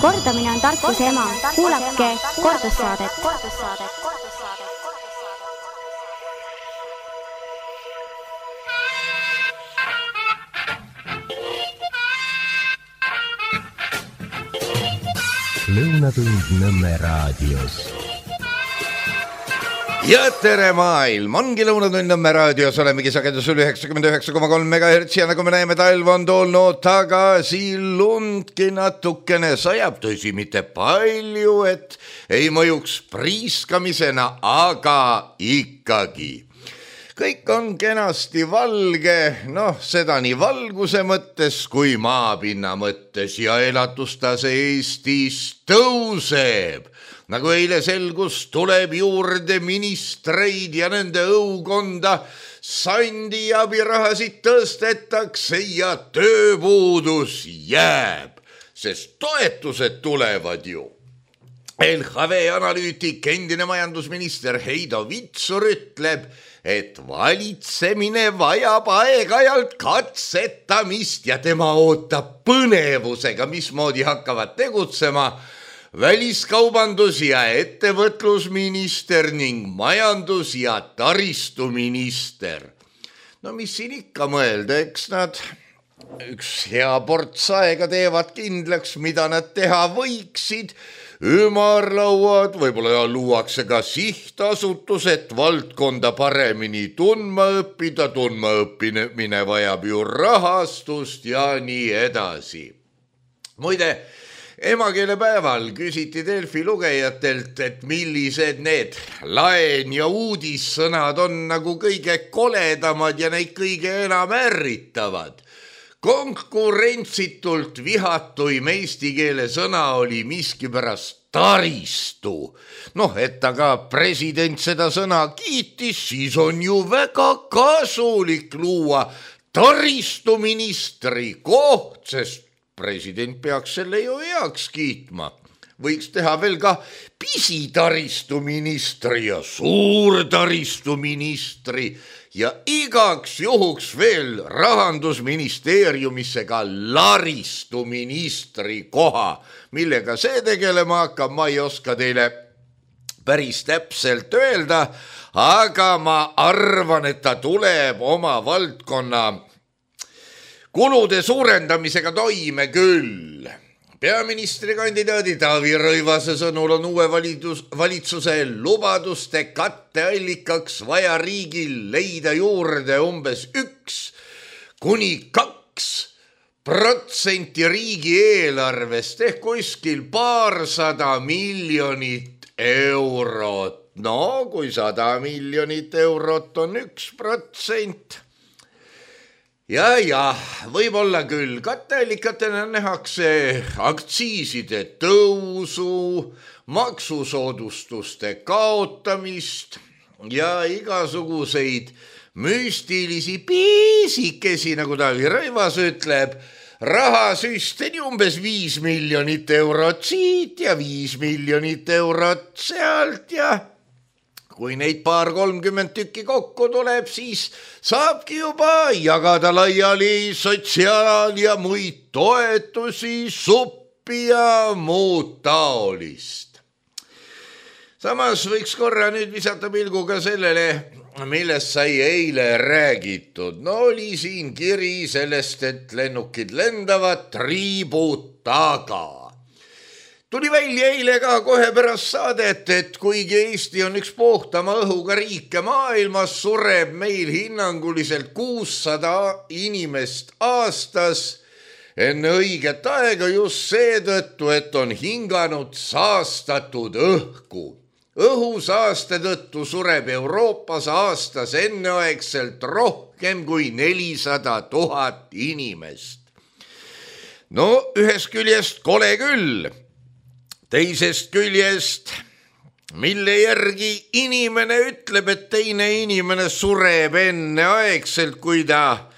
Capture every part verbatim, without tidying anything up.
Kordamine on tarkuse ema. Kuulake kordussaadet. Lõunatund Nõmme raadios. Ja tere maailm, ongi Lõunatund Nõmme raadios, olemegi sagedusel üheksakümmend üheksa koma kolm megahertsi ja nagu me näeme, talv on tulnud tagasi, lundki natukene sajab, tõsi mitte palju, et ei mõjuks priiskamisena, aga ikkagi. Kõik on kenasti valge, noh, seda nii valguse mõttes kui maapinna mõttes ja elatustase Eestis tõuseb. Nagu eile selgus, tuleb juurde ministreid ja nende õukonda sandi abirahasid tõstetakse ja tööpuudus jääb, sest toetused tulevad ju. L H V analüütik, endine majandusminister Heido Vitsur ütleb, et valitsemine vajab aeg-ajalt katsetamist ja tema ootab põnevusega, mismoodi hakkavad tegutsema väliskaubandus- ja ettevõtlusminister ning majandus- ja taristuminister. No mis siin ikka mõelda, eks nad üks hea ports aega teevad kindlaks, mida nad teha võiksid. Ümarlauad, võib-olla luuakse ka sihtasutus, et valdkonda paremini tundma õppida, tundma õppimine vajab ju rahastust ja nii edasi. Muide, emakeelepäeval küsiti Delfi lugejatelt, et millised need laen ja uudissõnad on nagu kõige koledamad ja neid kõige enam ärritavad. Konkurentsitult vihatuim eesti keele sõna oli miskipärast taristu. Noh, et aga president seda sõna kiitis, siis on ju väga kasulik luua taristuministri koht, sest president peaks selle ju heaks kiitma. Võiks teha veel ka pisitaristuministri ja suurtaristuministri ja igaks juhuks veel rahandusministeeriumisse ka laristuministri koha. Millega see tegelema hakkab, ma ei oska teile päris täpselt öelda, aga ma arvan, et ta tuleb oma valdkonna kulude suurendamisega toime küll. Peaministrikandidaadi Taavi Rõivase sõnul on uue valitus, valitsuse lubaduste katteallikaks vaja riigil leida juurde umbes üks kuni kaks protsenti riigieelarvest ehk kuskil paarsada miljonit eurot. No kui sada miljonit eurot on üks protsent. Ja, ja, võib-olla küll. Katteallikatena nähakse aktsiiside tõusu, maksusoodustuste kaotamist ja igasuguseid müstilisi piisikesi, nagu Taavi Rõivas ütleb, rahasüsteni umbes viis miljonit eurot siit ja viis miljonit eurot sealt ja kui neid paar kolmkümmend tükki kokku tuleb, siis saabki juba jagada laiali sotsiaal- ja muid toetusi, suppi ja muud taolist. Samas võiks korra nüüd visata pilguga sellele, millest sai eile räägitud. No oli siin kiri sellest, et lennukid lendavad triibud taga. Tuli välja eile ka kohe pärast saadet, et kuigi Eesti on üks puhtama õhuga riike maailmas, sureb meil hinnanguliselt kuussada inimest aastas enne õiget aega just seetõttu, et on hinganud saastatud õhku. Õhusaaste tõttu sureb Euroopas aastas enneaegselt rohkem kui nelisada tuhat inimest. No ühest küljest kole küll. Teisest küljest, mille järgi inimene ütleb, et teine inimene sureb enneaegselt, kui ta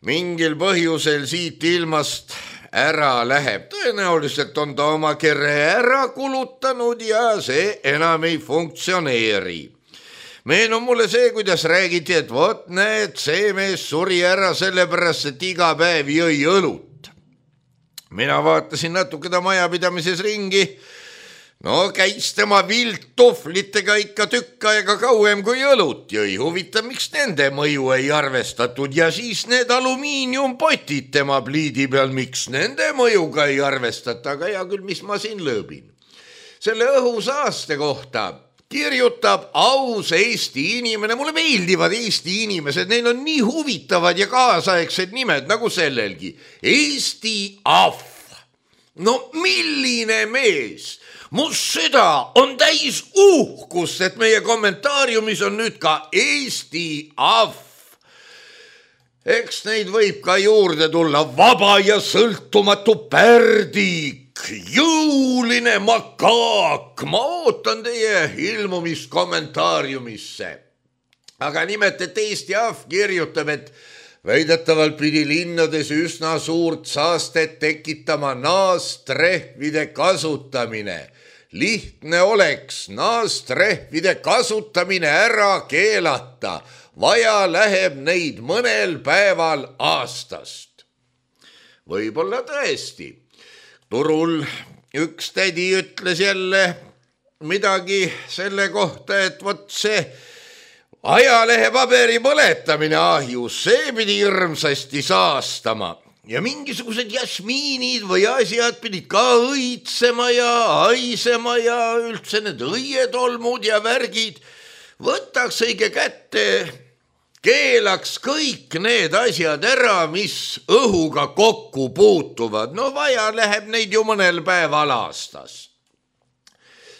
mingil põhjusel siit ilmast ära läheb. Tõenäoliselt on ta oma kere ära kulutanud ja see enam ei funktsioneeri. Meenub mulle see, kuidas räägiti, et vot näed, see mees suri ära sellepärast, et iga päev jõi õlut. mina vaatasin natuke ta majapidamises ringi. No käis tema vilttuhvlitega ikka tükk aega kauem kui õlut jõi. Huvitav, miks nende mõju ei arvestatud ja siis need alumiiniumpotid tema pliidi peal, miks nende mõjuga ei arvestata, aga hea küll, mis ma siin lõõbin. Selle õhusaaste kohta kirjutab aus Eesti inimene, mulle meeldivad Eesti inimesed, neil on nii huvitavad ja kaasaegsed nimed nagu sellelgi. Eesti Ahv. No milline mees! Mu süda on täis uhkust, et meie kommentaariumis on nüüd ka Eesti Ahv. Eks neid võib ka juurde tulla vaba ja sõltumatu pärdik, jõuline makaak. Ma ootan teie ilmumist kommentaariumisse. Aga nimelt, et Eesti Ahv kirjutab, et väidetavalt pidi linnades üsna suurt saastet tekitama naastrehvide kasutamine. Lihtne oleks naastrehvide kasutamine ära keelata. Vaja läheb neid mõnel päeval aastast. Võib-olla tõesti. Turul üks tädi ütles jälle midagi selle kohta, et vot see ajalehe paberi põletamine ahjus, see pidi hirmsasti saastama. Ja mingisugused jasmiinid või asjad pidid ka õitsema ja haisema ja üldse need õietolmud ja värgid. Võtaks õige kätte, keelaks kõik need asjad ära, mis õhuga kokku puutuvad. No vaja läheb neid ju mõnel päeval aastas.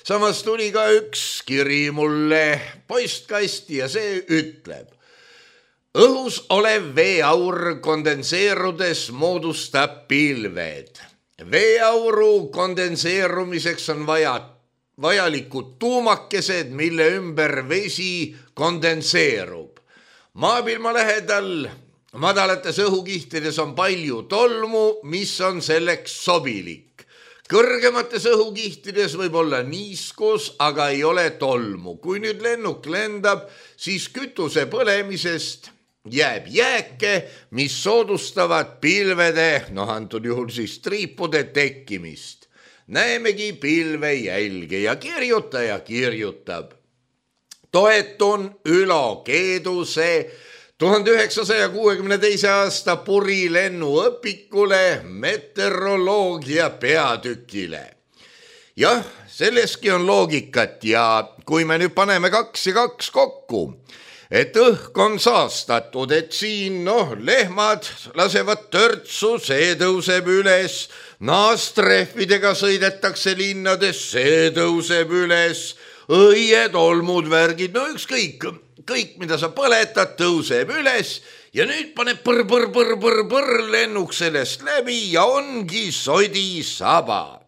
Samas tuli ka üks kiri mulle postkasti ja see ütleb. Õhus olev veeaur kondenseerudes moodustab pilved. Veeauru kondenseerumiseks on vaja, vajalikud tuumakesed, mille ümber vesi kondenseerub. Maapilma lähedal madalates õhukihtides on palju tolmu, mis on selleks sobilik. Kõrgemates õhukihtides võib olla niiskus, aga ei ole tolmu. Kui nüüd lennuk lendab, siis kütuse põlemisest jääb jääke, mis soodustavad pilvede, noh antud juhul siis triipude tekkimist. Näemegi pilve jälge ja kirjutaja kirjutab. Toetun Ülo Keeduse tuhande üheksasaja kuuekümne teise aasta purilennuõpikule meteoroloogia peatükile. Jah, selleski on loogikat ja kui me nüüd paneme kaks ja kaks kokku, et õhk on saastatud, et siin noh, lehmad lasevad törtsu, see tõuseb üles, naastrehvidega sõidetakse linnades, see tõuseb üles, õied, olmud, värgid, no ükskõik, kõik, mida sa põletad, tõuseb üles ja nüüd paneb põr, põr, põr, põr, põr lennuk sellest läbi ja ongi sodisaba.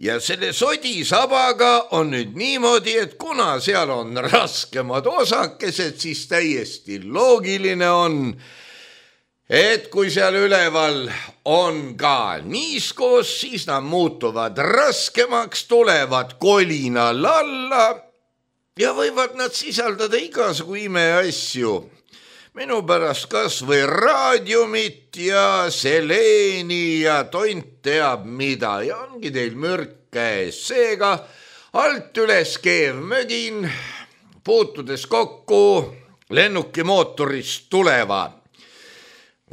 Ja selle sodisabaga on nüüd niimoodi, et kuna seal on raskemad osakesed, siis täiesti loogiline on, et kui seal üleval on ka niiskus, siis nad muutuvad raskemaks, tulevad kolinal alla ja võivad nad sisaldada igasugu imeasju. Minu pärast kas või raadiumit ja seleeni ja tont teab mida ja ongi teil mürk käes. Seega alt üles keev mögin, puutudes kokku lennuki mootorist tuleva.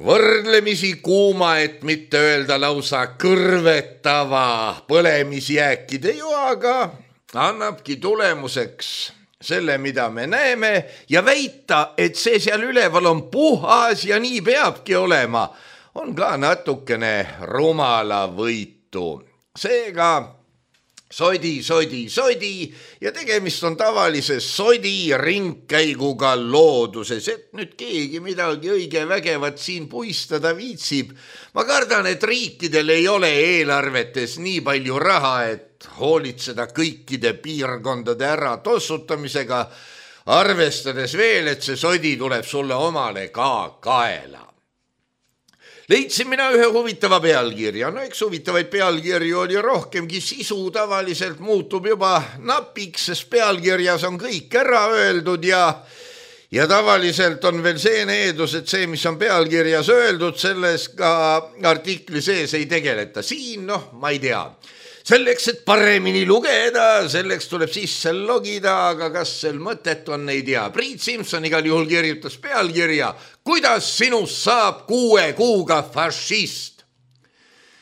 Võrdlemisi kuuma, et mitte öelda lausa kõrvetava põlemisjääkide joaga annabki tulemuseks selle, mida me näeme ja väita, et see seal üleval on puhas ja nii peabki olema, on ka natukene rumala võitu. Seega sodi, sodi, sodi ja tegemist on tavalise sodi ringkäiguga looduses, et nüüd keegi midagi õige vägevat siin puistada viitsib. Ma kardan, et riikidel ei ole eelarvetes nii palju raha, et hoolitseda kõikide piirkondade ära tossutamisega, arvestades veel, et see sodi tuleb sulle omale ka kaela. Leidsin mina ühe huvitava pealkirja. No eks huvitavaid pealkirju oli rohkemgi, sisu tavaliselt muutub juba napiks, sest pealkirjas on kõik ära öeldud ja, ja tavaliselt on veel see needus, et see, mis on pealkirjas öeldud, selles ka artikli sees ei tegeleta. Siin, noh, ma ei tea. Selleks, et paremini lugeda, selleks tuleb sisse logida, aga kas sel mõtet on, ei tea. Priit Simson igal juhul kirjutas pealkirja, kuidas sinust saab kuue kuuga fašist.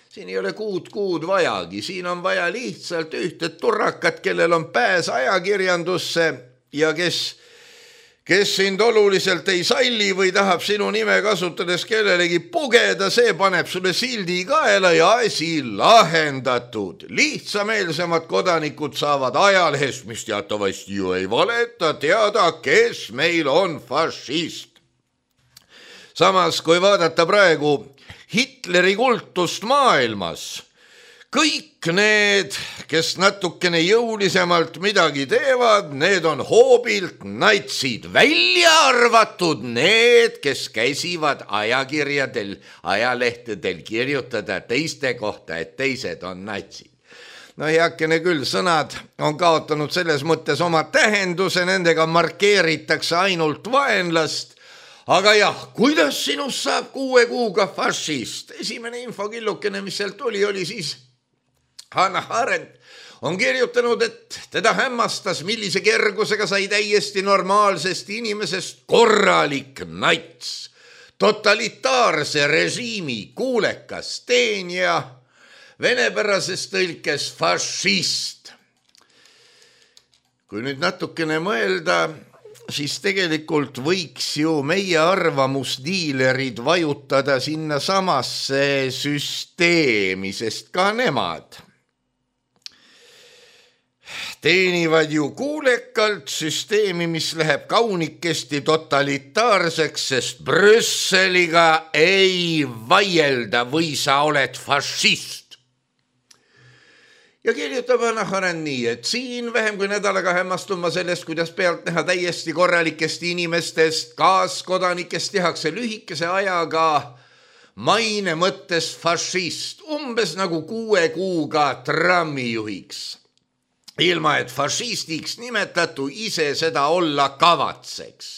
Siin ei ole kuud kuud vajagi, siin on vaja lihtsalt ühte turrakat, kellel on pääs ajakirjandusse ja kes kes sind oluliselt ei salli või tahab sinu nime kasutades kellelegi pugeda, see paneb sulle sildi kaela ja asi lahendatud. Lihtsameelsemad kodanikud saavad ajalehest, mis teatavasti ju ei valeta, teada, kes meil on fašist. Samas, kui vaadata praegu Hitleri kultust maailmas, kõik need, kes natukene jõulisemalt midagi teevad, need on hoobilt natsid, välja arvatud need, kes käsivad ajakirjadel, ajalehtedel kirjutada teiste kohta, et teised on natsid. No heakene küll, sõnad on kaotanud selles mõttes oma tähenduse, nendega markeeritakse ainult vaenlast, aga jah, kuidas sinust saab kuue kuuga fašist? Esimene infokillukene, mis sealt oli, oli siis Hannah Arendt on kirjutanud, et teda hämmastas, millise kergusega sai täiesti normaalsest inimesest korralik nats, totalitaarse režiimi kuulekas teenija, venepärases tõlkes fašist. Kui nüüd natukene mõelda, siis tegelikult võiks ju meie arvamusdiilerid vajutada sinna samasse süsteemi, sest ka nemad teenivad ju kuulekalt süsteemi, mis läheb kaunikesti totalitaarseks, sest Brüsseliga ei vaielda või sa oled fašist. Ja kirjutab Hannah Arendt nii, et siin vähem kui nädalaga hämmastun ma sellest, kuidas pealt näha täiesti korralikest inimestest, kaaskodanikest tehakse lühikese ajaga maine mõttes fašist, umbes nagu kuue kuuga trammijuhiks. Ilma, et fašistiks nimetatu ise seda olla kavatseks.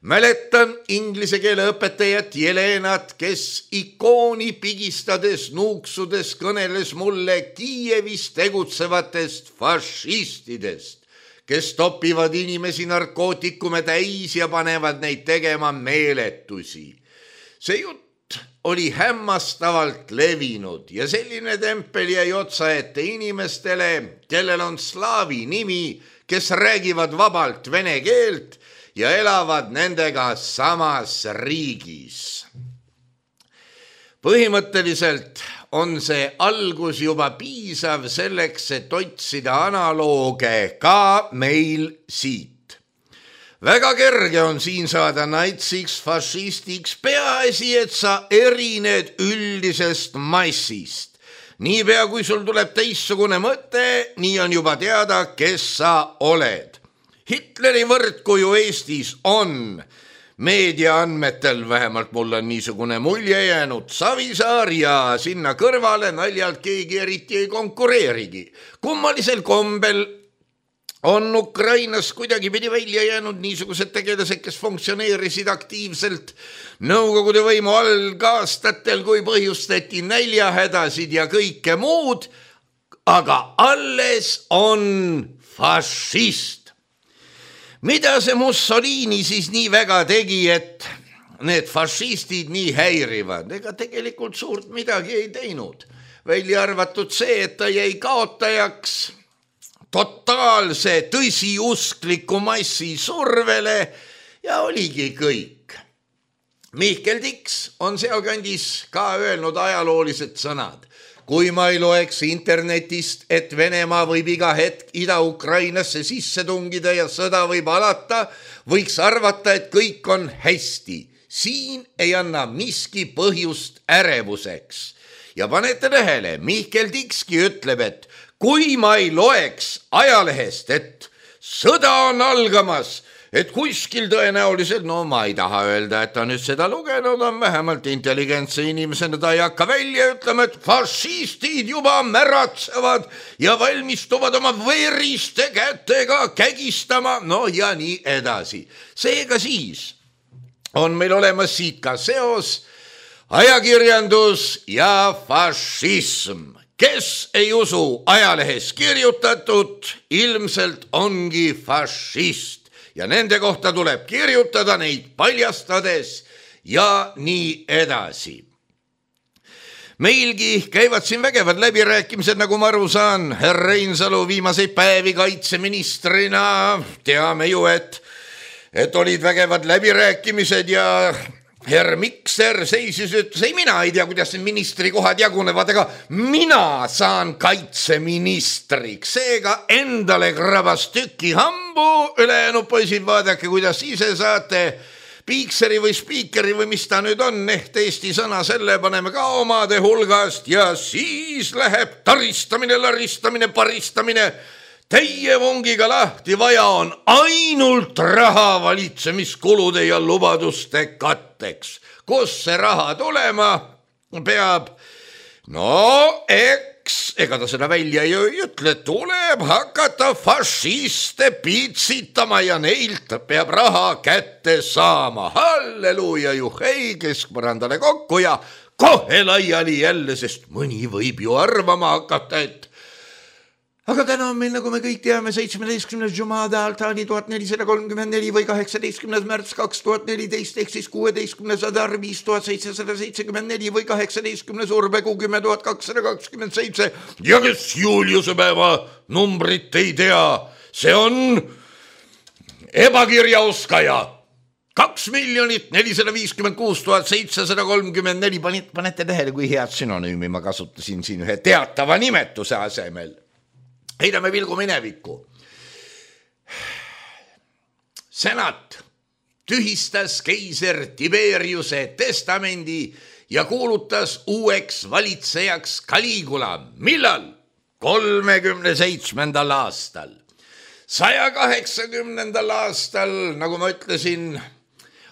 Mäletan inglise keele õpetajat Jelenat, kes ikooni pigistades, nuuksudes kõneles mulle Kiievis tegutsevatest fašistidest, kes topivad inimesi narkootikume täis ja panevad neid tegema meeletusi. See jutt oli hämmastavalt levinud ja selline tempel jäi otsa ette inimestele, kellel on slaavi nimi, kes räägivad vabalt vene keelt ja elavad nendega samas riigis. Põhimõtteliselt on see algus juba piisav selleks, et otsida analooge ka meil siit. Väga kerge on siin saada natsiks, fašistiks, peaasi, et sa erined üldisest massist. Niipea kui sul tuleb teistsugune mõte, nii on juba teada, kes sa oled. Hitleri võrdkuju Eestis on meedia andmetel, vähemalt mul on niisugune mulje jäänud, Savisaar ja sinna kõrvale naljalt keegi eriti ei konkureerigi. Kummalisel kombel on Ukrainas kuidagi pidi välja jäänud niisugused tegelased, kes funktsioneerisid aktiivselt Nõukogude võimu algaastatel, kui põhjustati näljahädasid ja kõike muud, aga alles on fašist. Mida see Mussolini siis nii väga tegi, et need fašistid nii häirivad? Ega tegelikult suurt midagi ei teinud. Välja arvatud see, et ta jäi kaotajaks totaalse tõsiuskliku massi survele ja oligi kõik. Mihkel Tiks on sealkandis ka öelnud ajaloolised sõnad. Kui ma ei loeks internetist, et Venemaa võib iga hetk Ida-Ukrainasse sisse tungida ja sõda võib alata, võiks arvata, et kõik on hästi. Siin ei anna miski põhjust ärevuseks. Ja panete tähele, Mihkel Tikski ütleb, et kui ma ei loeks ajalehest, et sõda on algamas, et kuskil tõenäoliselt, no ma ei taha öelda, et ta nüüd seda lugenud on, vähemalt intelligentse inimesena ta ei hakka välja ütlema, et fašistid juba märatsevad ja valmistuvad oma veriste kätega kägistama, no ja nii edasi. Seega siis on meil olemas siit ka seos ajakirjandus ja fašism. Kes ei usu ajalehes kirjutatud, ilmselt ongi fašist ja nende kohta tuleb kirjutada neid paljastades ja nii edasi. Meilgi käivad siin vägevad läbirääkimised, nagu ma aru saan, härra Reinsalu viimaseid päevi kaitseministrina. Teame ju, et, et olid vägevad läbirääkimised ja Herr Mikser seisis, ütles, ei mina ei tea, kuidas ministri kohad jagunevad, aga mina saan kaitseministriks. Seega endale krabas tüki hambu, ülejäänud poisid, vaadake, kuidas ise saate piikseri või spiikeri või mis ta nüüd on, ehk Eesti sõna, selle paneme ka omade hulgast ja siis läheb taristamine, laristamine, paristamine. Teie vongiga lahti, vaja on ainult raha valitsemiskulude ja lubaduste katteks. Kus see raha tulema peab? No eks, ega ta seda välja ei ütle, tuleb hakata fašiste piitsitama ja neilt peab raha kätte saama. Halleluuja, juhei, keskpõrandale kokku ja kohe laiali jälle, sest mõni võib ju arvama hakata, et aga täna on meil, nagu me kõik teame, seitsmeteistkümnes Jumada Altani tuhat nelisada kolmkümmend neli või kaheksateistkümnes märts kaks tuhat neliteist ehk siis kuueteistkümnes Adar viis tuhat seitsesada seitsekümmend neli või kaheksateistkümnes Urbekuu kümme tuhat kakssada kakskümmend seitse ja kes Juliuse päeva numbrit ei tea, see on ebakirjaoskaja. Kaks miljonit nelisada viiskümmend kuus tuhat seitsesada kolmkümmend neli. Panete tähele, kui head sünonüümi ma kasutasin siin ühe teatava nimetuse asemel. Heidame vilgu minevikku. Senat tühistas keiser Tiberiuse testamendi ja kuulutas uueks valitsejaks Caligula. Millal? kolmekümne seitsmendal aastal. saja kaheksakümnendal aastal, nagu ma ütlesin,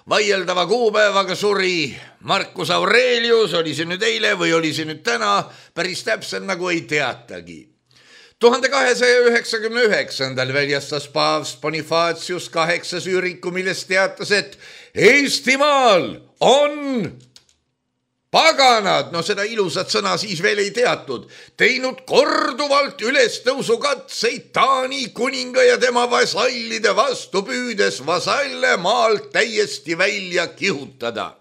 vaieldava kuupäevaga suri Marcus Aurelius, oli see nüüd eile või oli see nüüd täna, päris täpselt nagu ei teatagi. tuhande kahesaja üheksakümne üheksandal väljastas paavst Bonifacius kaheksas üriku, milles teatas, et Eestimaal on paganad, no seda ilusat sõna siis veel ei teatud, teinud korduvalt ülestõusukatseid Taani kuninga ja tema vasallide vastu, püüdes vasalle maalt täiesti välja kihutada.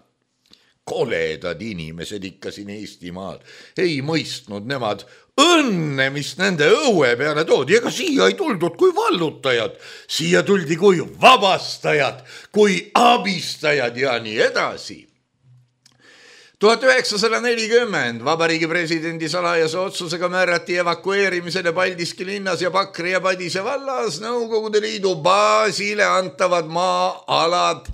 Koledad inimesed ikka siin Eestimaal, ei mõistnud nemad õnne, mis nende õue peale toodi, ega siia ei tuldud kui vallutajad, siia tuldi kui vabastajad, kui abistajad ja nii edasi. tuhat üheksasada nelikümmend Vabariigi presidendi salajase otsusega määrati evakueerimisele Paldiski linnas ja Pakri ja Padise vallas Nõukogude Liidu baasile antavad maa-alad.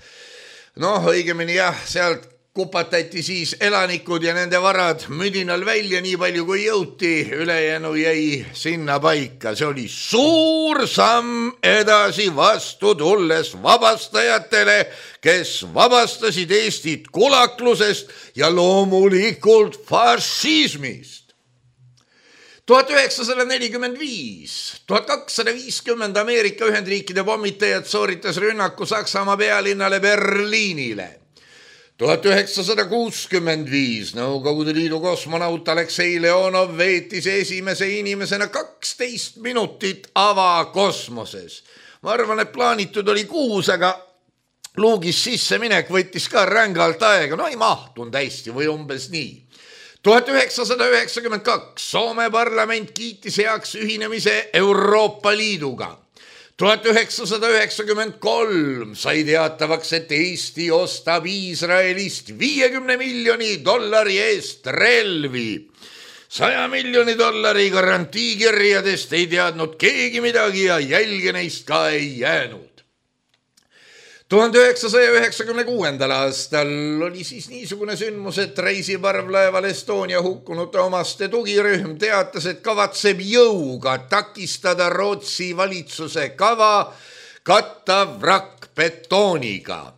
Noh, õigemini jah, sealt kupatati siis elanikud ja nende varad müdinal välja nii palju kui jõuti, ülejäänu jäi sinna paika. See oli suur samm edasi vastu tulles vabastajatele, kes vabastasid Eestit kulaklusest ja loomulikult fašismist. tuhat üheksasada nelikümmend viis, tuhat kakssada viiskümmend Ameerika Ühendriikide pommitajad sooritas rünnaku Saksamaa pealinnale Berliinile. tuhat üheksasada kuuskümmend viis Nõukogude Liidu kosmonaut Aleksei Leonov veetis esimese inimesena kaksteist minutit avakosmoses. Ma arvan, et plaanitud oli kuus, aga luugis sisse minek võttis ka rängalt aega. No ei mahtunud hästi või umbes nii. tuhat üheksasada üheksakümmend kaks Soome parlament kiitis heaks ühinemise Euroopa Liiduga. tuhat üheksasada üheksakümmend kolm sai teatavaks, et Eesti ostab Iisraelist viiekümne miljoni dollari eest relvi. saja miljoni dollari garantiikirjadest ei teadnud keegi midagi ja jälge neist ka ei jäänud. tuhande üheksasaja üheksakümne kuuendal aastal oli siis niisugune sündmus, et reisiparvlaeval Estonia hukkunute omaste tugirühm teatas, et kavatseb jõuga takistada Rootsi valitsuse kava katta vrakk betooniga.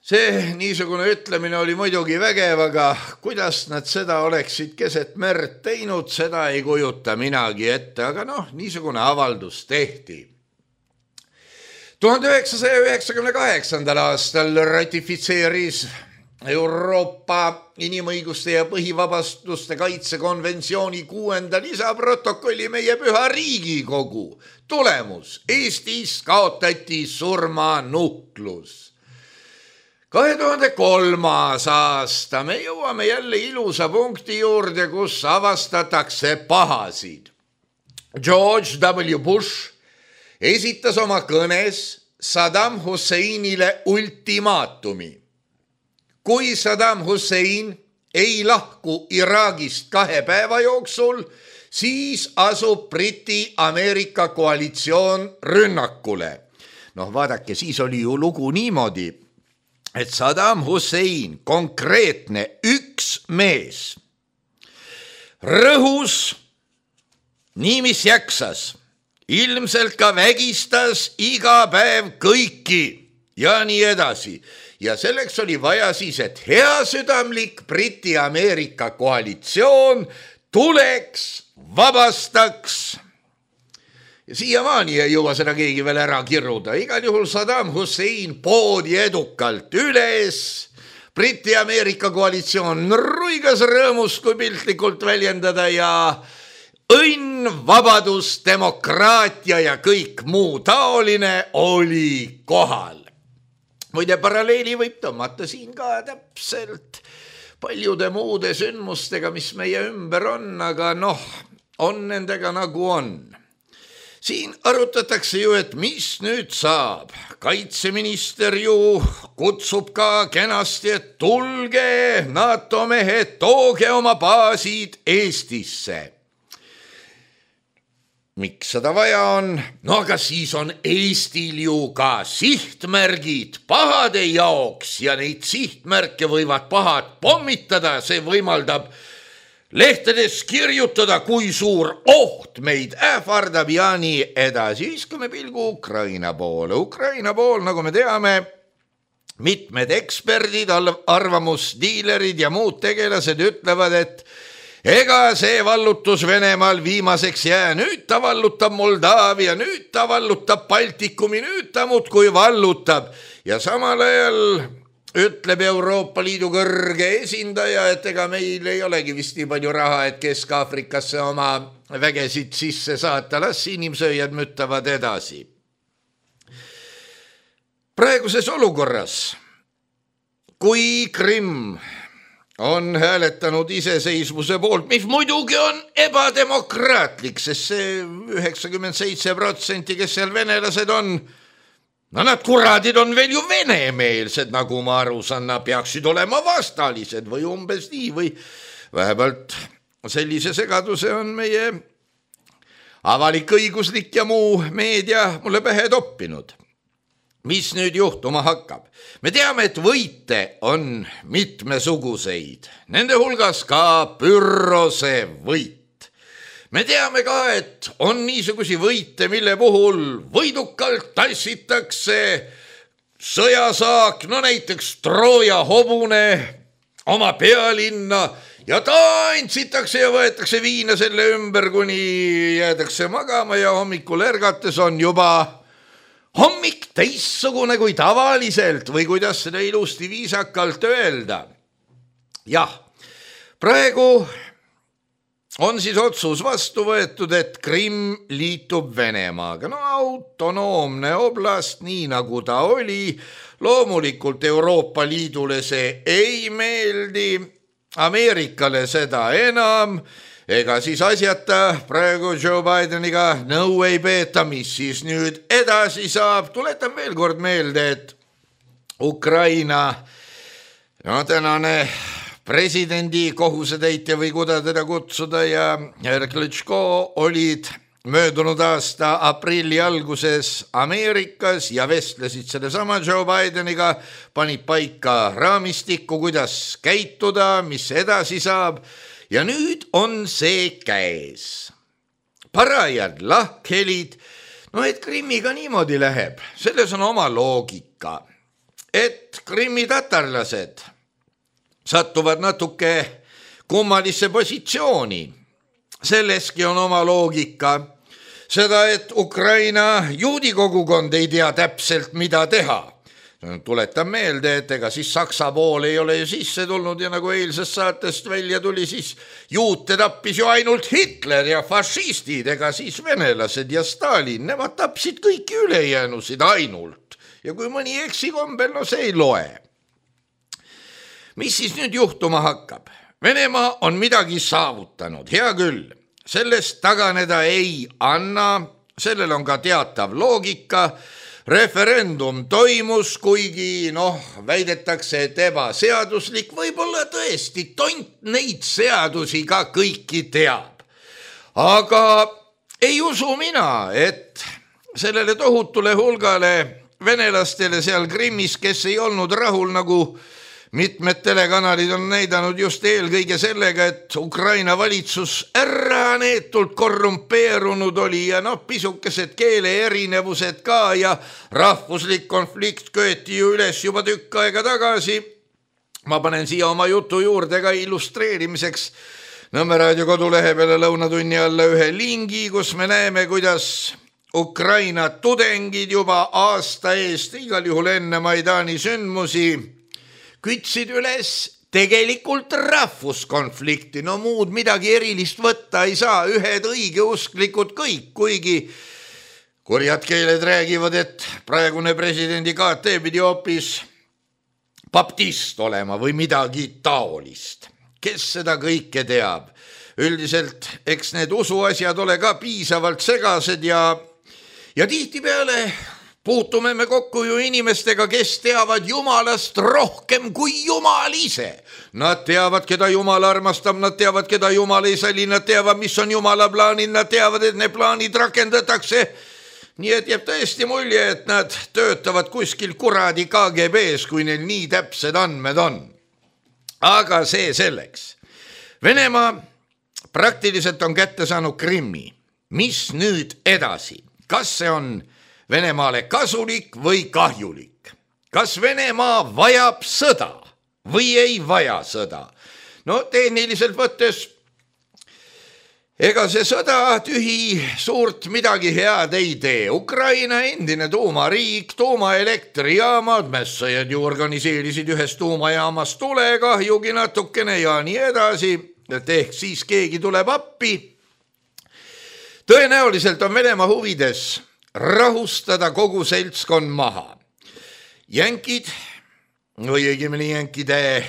See niisugune ütlemine oli muidugi vägev, aga kuidas nad seda oleksid keset merd teinud, seda ei kujuta minagi ette, aga noh, niisugune avaldus tehti. tuhande üheksasaja üheksakümne kaheksandal aastal ratifitseeris Euroopa inimõiguste ja põhivabastuste kaitsekonventsiooni kuuenda lisaprotokolli meie püha Riigikogu. Tulemus: Eestis kaotati surmanuhtlus. kahe tuhande kolmas aasta me jõuame jälle ilusa punkti juurde, kus avastatakse pahasid. George W. Bush esitas oma kõnes Saddam Husseinile ultimaatumi. Kui Saddam Hussein ei lahku Iraagist kahe päeva jooksul, siis asub Briti-Ameerika koalitsioon rünnakule. Noh, vaadake, siis oli ju lugu niimoodi, et Saddam Hussein, konkreetne üks mees, rõhus nii mis jaksas, ilmselt ka vägistas iga päev kõiki ja nii edasi. Ja selleks oli vaja siis, et heasüdamlik Briti-Ameerika koalitsioon tuleks, vabastaks. Ja siiamaani ei jõua seda keegi veel ära kiruda. Igal juhul Saddam Hussein poodi edukalt üles. Briti-Ameerika koalitsioon ruigas rõõmus, kui piltlikult väljendada, ja õnn, vabadus, demokraatia ja kõik muu taoline oli kohal. Muide, paralleeli võib tõmmata siin ka täpselt paljude muude sündmustega, mis meie ümber on, aga noh, on nendega nagu on. Siin arutatakse ju, et mis nüüd saab. Kaitseminister ju kutsub ka kenasti, et tulge, NATO mehed, tooge oma baasid Eestisse. Miks seda vaja on? No aga siis on Eestil ju ka sihtmärgid pahade jaoks ja neid sihtmärke võivad pahad pommitada. See võimaldab lehtedes kirjutada, kui suur oht meid ähvardab ja nii edasi. Viskame pilgu Ukraina poole. Ukraina pool, nagu me teame, mitmed eksperdid, arvamusdiilerid ja muud tegelased ütlevad, et ega see vallutus Venemaal viimaseks jää. Nüüd ta vallutab Moldaavia, nüüd ta vallutab Baltikumi, nüüd ta muudkui vallutab. Ja samal ajal ütleb Euroopa Liidu kõrge esindaja, et ega meil ei olegi vist nii palju raha, et Kesk-Afrikasse oma vägesid sisse saata. Las inimsööjad müttavad edasi. Praeguses olukorras, kui Krimm on hääletanud iseseisvuse poolt, mis muidugi on ebademokraatlik, sest see üheksakümmend seitse protsenti, kes seal venelased on, no nad kuradid on veel ju venemeelsed, nagu ma aru saan, nad peaksid olema vastalised või umbes nii, või vähemalt sellise segaduse on meie avalik õiguslik ja muu meedia mulle pähe toppinud. Mis nüüd juhtuma hakkab? Me teame, et võite on mitmesuguseid, nende hulgas ka Pyrrhose võit. Me teame ka, et on niisugusi võite, mille puhul võidukalt tassitakse sõjasaak, no näiteks Trooja hobune oma pealinna, ja tantsitakse ja võetakse viina selle ümber, kuni jäädakse magama ja hommikul ärgates on juba hommik teissugune kui tavaliselt või kuidas seda ilusti viisakalt öelda. Jah, praegu on siis otsus vastu võetud, et Krimm liitub Venemaaga. No autonoomne oblast, nii nagu ta oli. Loomulikult Euroopa Liidule see ei meeldi, Ameerikale seda enam. Ega siis asjata praegu Joe Bideniga nõu ei peeta, mis siis nüüd edasi saab. Tuletan veel kord meelde, et Ukraina no, tänane presidendi kohusetäitja või kuda teda kutsuda ja härra Klitschko olid möödunud aasta aprilli alguses Ameerikas ja vestlesid sellesama Joe Bideniga, panid paika raamistikku, kuidas käituda, mis edasi saab. Ja nüüd on see käes. Parajad lahkhelid no et Krimmiga niimoodi läheb, selles on oma loogika, et Krimmi tatarlased sattuvad natuke kummalisse positsiooni. Selleski on oma loogika. Seda, et Ukraina juudi kogukond ei tea täpselt, mida teha. Tuletan meelde, et ega siis Saksa pool ei ole ju sisse tulnud ja nagu eilsest saatest välja tuli, siis juute tappis ju ainult Hitler ja fašistid, ega siis venelased ja Stalin, nemad tapsid kõiki ülejäänusid ainult. Ja kui mõni eksikombel, no see ei loe. Mis siis nüüd juhtuma hakkab? Venemaa on midagi saavutanud, hea küll. Sellest taganeda ei anna, sellel on ka teatav loogika. Referendum toimus, kuigi noh, väidetakse, et ebaseaduslik, võib-olla tõesti tont neid seadusi ka kõiki teab. Aga ei usu mina, et sellele tohutule hulgale venelastele seal Krimmis, kes ei olnud rahul, nagu mitmed telekanalid on näidanud just eelkõige sellega, et Ukraina valitsus äraneetult korrumpeerunud oli ja noh, pisukesed keele erinevused ka ja rahvuslik konflikt köeti ju üles juba tükk aega tagasi. Ma panen siia oma jutu juurde ka illustreerimiseks Nõmme raadio kodulehe peale lõunatunni alla ühe lingi, kus me näeme, kuidas Ukraina tudengid juba aasta eest, igal juhul enne Maidani sündmusi, kütsid üles tegelikult rahvuskonflikti, no muud midagi erilist võtta ei saa, ühed õigeusklikud kõik, kuigi kurjad keeled räägivad, et praegune presidendi K T pidi hoopis baptist olema või midagi taolist. Kes seda kõike teab? Üldiselt, eks need usuasjad ole ka piisavalt segased ja, ja tihtipeale puutume me kokku ju inimestega, kes teavad Jumalast rohkem kui Jumal ise. Nad teavad, keda Jumal armastab, nad teavad, keda Jumal ei sali, nad teavad, mis on Jumala plaanid, nad teavad, et need plaanid rakendatakse. Nii et jääb tõesti mulje, et nad töötavad kuskil kuradi K G B-s, kui neil nii täpsed andmed on. Aga see selleks. Venemaa praktiliselt on kätte saanud Krimmi. Mis nüüd edasi? Kas see on Venemaale kasulik või kahjulik? Kas Venemaa vajab sõda või ei vaja sõda? No tehniliselt võttes, ega see sõda tühi suurt midagi head ei tee. Ukraina endine tuumariik, tuumaelektrijaamad, mässajad ju organiseerisid ühes tuumajaamas tulekahjugi natukene ja nii edasi, et ehk siis keegi tuleb appi. Tõenäoliselt on Venemaa huvides rahustada kogu seltskond maha. Jänkid, või õigemini jänkide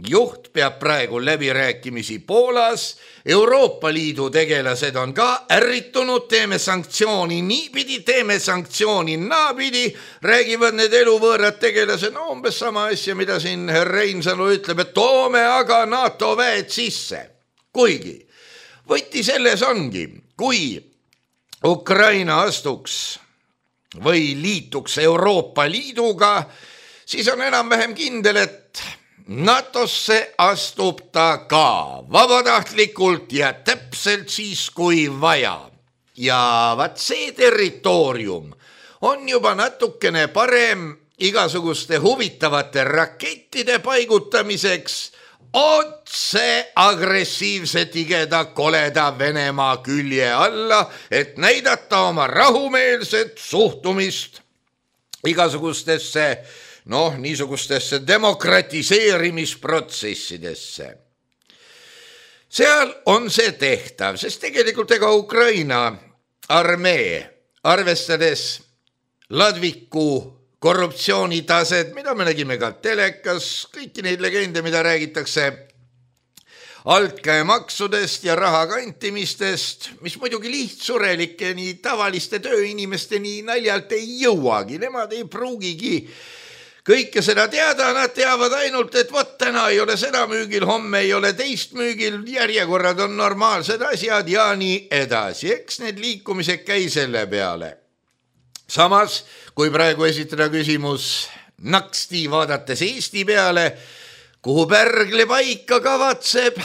juht peab praegu läbirääkimisi Poolas, Euroopa Liidu tegelased on ka ärritunud, teeme sanktsiooni niipidi, teeme sanktsiooni naapidi, räägivad need eluvõõrad tegelased, no umbes sama asja, mida siin Reinsalu ütleb, et toome aga NATO väed sisse. Kuigi, võti selles ongi, kui Ukraina astuks või liituks Euroopa Liiduga, siis on enam-vähem kindel, et NATOsse astub ta ka vabatahtlikult ja täpselt siis, kui vaja. Ja vaat see territoorium on juba natukene parem igasuguste huvitavate rakettide paigutamiseks otse agressiivse tigeda koleda Venemaa külje alla, et näidata oma rahumeelset suhtumist igasugustesse, noh, niisugustesse demokratiseerimisprotsessidesse. Seal on see tehtav, sest tegelikult ega Ukraina armee, arvestades ladviku korruptsioonitaset, mida me nägime ka telekas, kõiki neid legende, mida räägitakse altkäemaksudest ja raha kantimistest, mis muidugi lihtsurelike nii tavaliste tööinimeste nii naljalt ei jõuagi, nemad ei pruugigi kõike seda teada, nad teavad ainult, et vot täna ei ole seda müügil, homme ei ole teist müügil, järjekorrad on normaalsed asjad ja nii edasi, eks need liikumised käi selle peale. Samas, kui praegu esitada küsimus naksti vaadates Eesti peale, kuhu Pärgle paika kavatseb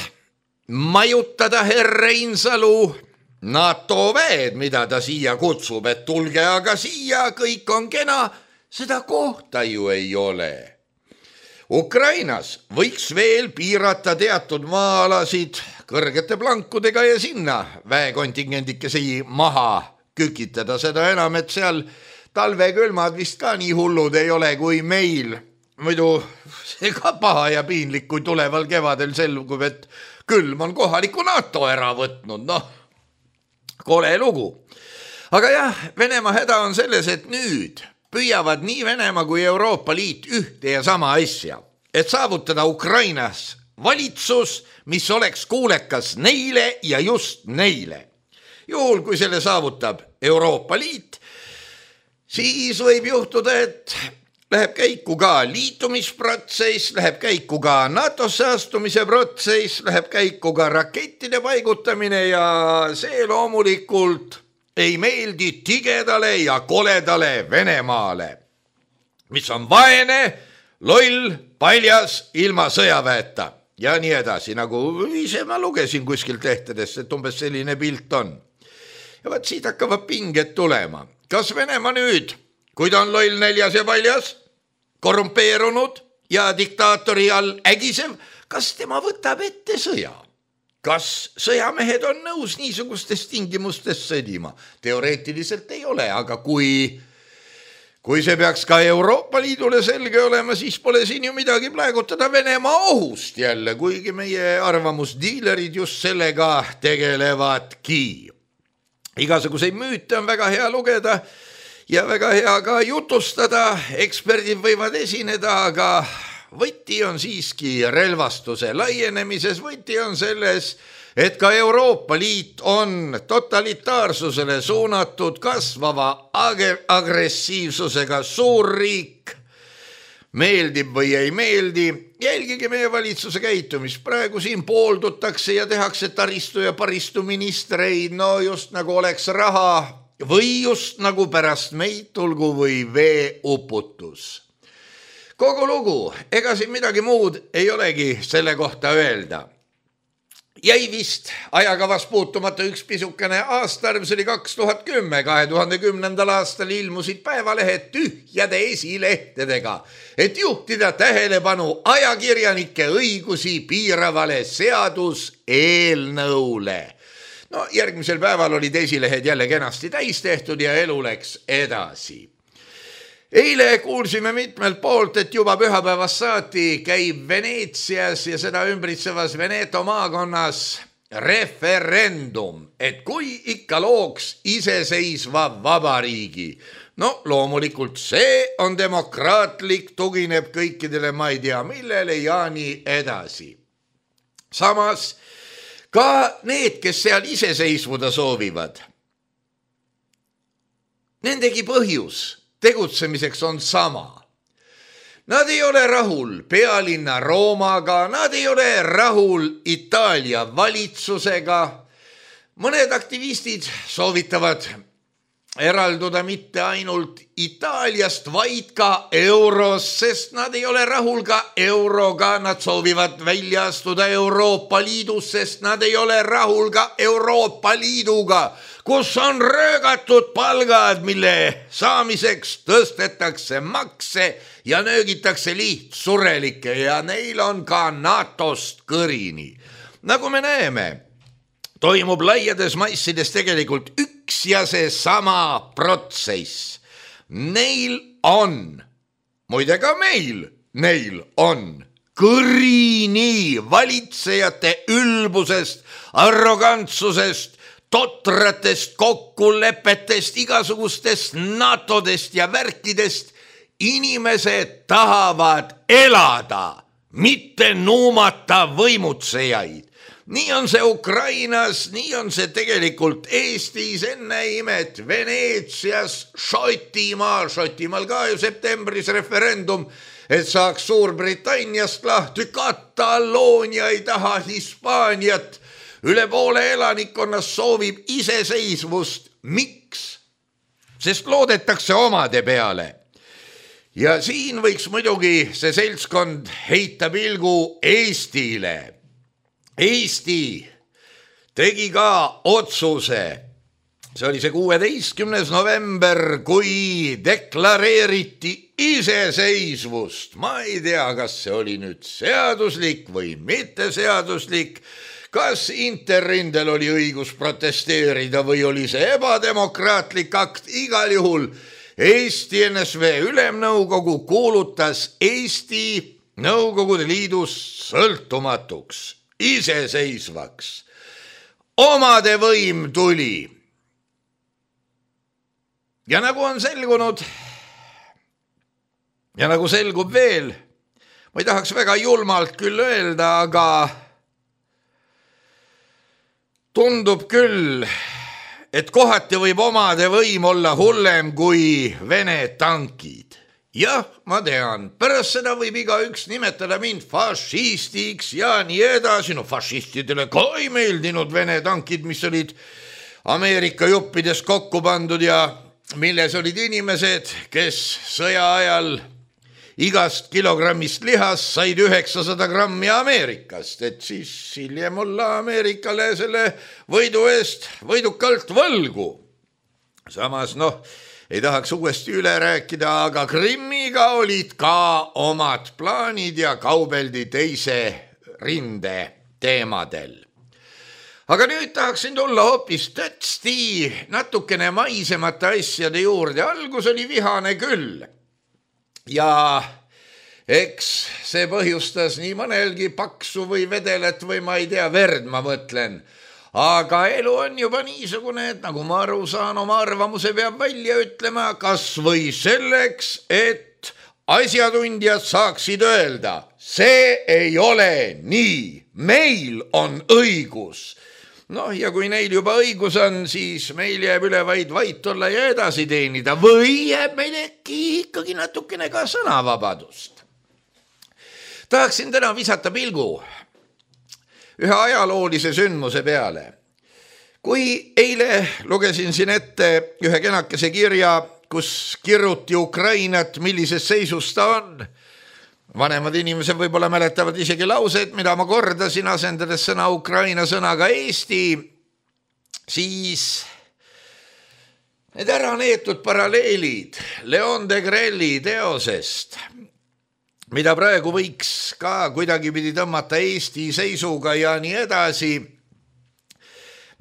majutada herr Reinsalu, NATO väed, mida ta siia kutsub, et tulge aga siia, kõik on kena, seda kohta ju ei ole. Ukrainas võiks veel piirata teatud maa-alasid kõrgete plankudega ja sinna väekontingendikesi maha kükitada, seda enam, et seal talvekülmad vist ka nii hullud ei ole kui meil. Muidu see ka paha ja piinlik, kui tuleval kevadel selgub, et külm on kohaliku NATO ära võtnud, noh, kole lugu. Aga jah, Venemaa häda on selles, et nüüd püüavad nii Venemaa kui Euroopa Liit ühte ja sama asja, et saavutada Ukrainas valitsus, mis oleks kuulekas neile ja just neile. Juhul, kui selle saavutab Euroopa Liit, siis võib juhtuda, et läheb käiku ka liitumisprotsess, läheb käiku ka NATOsse astumise protsess, läheb käiku ka rakettide paigutamine ja see loomulikult ei meeldi tigedale ja koledale Venemaale, mis on vaene, loll, paljas, ilma sõjaväeta ja nii edasi, nagu ise ma lugesin kuskilt lehtedest, et umbes selline pilt on. Ja vaat siit hakkavad pinged tulema. Kas Venemaa nüüd, kui ta on loll, näljas ja paljas, korrumpeerunud ja diktaatori all ägisev, kas tema võtab ette sõja? Kas sõjamehed on nõus niisugustes tingimustes sõdima? Teoreetiliselt ei ole, aga kui, kui see peaks ka Euroopa Liidule selge olema, siis pole siin ju midagi plägutada Venemaa ohust jälle, kuigi meie arvamusdiilerid just sellega tegelevadki. Igasuguseid müüte on väga hea lugeda ja väga hea ka jutustada, eksperdid võivad esineda, aga võti on siiski relvastuse laienemises, võti on selles, et ka Euroopa Liit on totalitaarsusele suunatud kasvava agressiivsusega suurriik. Meeldib või ei meeldi, jälgige meie valitsuse käitumist. Praegu siin pooldutakse ja tehakse taristu ja paristu ministreid, no just nagu oleks raha või just nagu pärast meid tulgu või veeuputus. Kogu lugu, ega siin midagi muud ei olegi selle kohta öelda. Jäi vist ajakavas puutumata üks pisukene aastarv, see oli kaks tuhat kümme, kahe tuhande kümnendal aastal ilmusid päevalehed tühjade esilehtedega, et juhtida tähelepanu ajakirjanike õigusi piiravale seaduseelnõule. No järgmisel päeval olid esilehed jälle kenasti täis tehtud ja elu läks edasi. Eile kuulsime mitmelt poolt, et juba pühapäevast saati käib Veneetsias ja seda ümbritsevas Veneto maakonnas referendum, et kui ikka looks iseseisva vabariigi. No loomulikult see on demokraatlik, tugineb kõikidele, ma ei tea millele ja nii edasi. Samas ka need, kes seal iseseisvuda soovivad, nendegi põhjus tegutsemiseks on sama. Nad ei ole rahul pealinna Roomaga, nad ei ole rahul Itaalia valitsusega. Mõned aktivistid soovitavad eralduda mitte ainult Itaaliast, vaid ka euros, sest nad ei ole rahul ka euroga. Nad soovivad välja astuda Euroopa Liidus, sest nad ei ole rahul ka Euroopa Liiduga, kus on röögatud palgad, mille saamiseks tõstetakse makse ja nöögitakse lihtsurelikke ja neil on ka NATOst kõrini. Nagu me näeme, toimub laiades massides tegelikult üks ja see sama protsess. Neil on, muide ka meil, neil on kõrini valitsejate ülbusest, arrogantsusest, totratest kokkulepetest, igasugustest NATOdest ja värkidest. Inimesed tahavad elada, mitte nuumata võimutsejaid. Nii on see Ukrainas, nii on see tegelikult Eestis, enne imet Veneetsias, Šotimaal, Šotimaal ka ju septembris referendum, et saaks Suurbritanniast lahti, Kataloonia ei taha Hispaaniat, üle poole elanikkonnast soovib iseseisvust. Miks? Sest loodetakse omade peale. Ja siin võiks muidugi see seltskond heita pilgu Eestile. Eesti tegi ka otsuse. See oli see kuueteistkümnes november, kui deklareeriti iseseisvust. Ma ei tea, kas see oli nüüd seaduslik või mitte seaduslik, kas Interrindel oli õigus protesteerida või oli see ebademokraatlik akt. Igal juhul Eesti N S V Ülemnõukogu kuulutas Eesti Nõukogude Liidust sõltumatuks, iseseisvaks. Omade võim tuli. Ja nagu on selgunud, ja nagu selgub veel, ma ei tahaks väga julmalt küll öelda, aga tundub küll, et kohati võib omade võim olla hullem kui Vene tankid. Jah, ma tean, pärast seda võib igaüks nimetada mind fašistiks ja nii edasi. No fašistidele ka ei meeldinud Vene tankid, mis olid Ameerika juppides kokku pandud ja milles olid inimesed, kes sõja ajal igast kilogrammist lihast said üheksasada grammi Ameerikast, et siis hiljem olla Ameerikale selle võidu eest võidukalt võlgu. Samas, noh, ei tahaks uuesti üle rääkida, aga Krimmiga olid ka omad plaanid ja kaubeldi teise rinde teemadel. Aga nüüd tahaksin tulla hoopis tõtsti natukene maisemate asjade juurde. Algus oli vihane küll. Ja eks see põhjustas nii mõnelgi paksu või vedelet või ma ei tea, verd ma mõtlen. Aga elu on juba niisugune, et nagu ma aru saan, oma arvamuse peab välja ütlema, kas või selleks, et asjatundjad saaksid öelda, see ei ole nii, meil on õigus. Noh, ja kui neil juba õigus on, siis meil jääb üle vaid vait olla ja edasi teenida või jääb meil äkki ikkagi natukene ka sõnavabadust. Tahaksin täna visata pilgu ühe ajaloolise sündmuse peale. Kui eile lugesin siin ette ühe kenakese kirja, kus kirjuti Ukrainat, millises seisus ta on, vanemad inimesed võib-olla mäletavad isegi lauseid, mida ma kordasin, asendades sõna Ukraina sõnaga Eesti, siis need ära neetud paralleelid Leon Degrelli teosest, mida praegu võiks ka kuidagi pidi tõmmata Eesti seisuga ja nii edasi,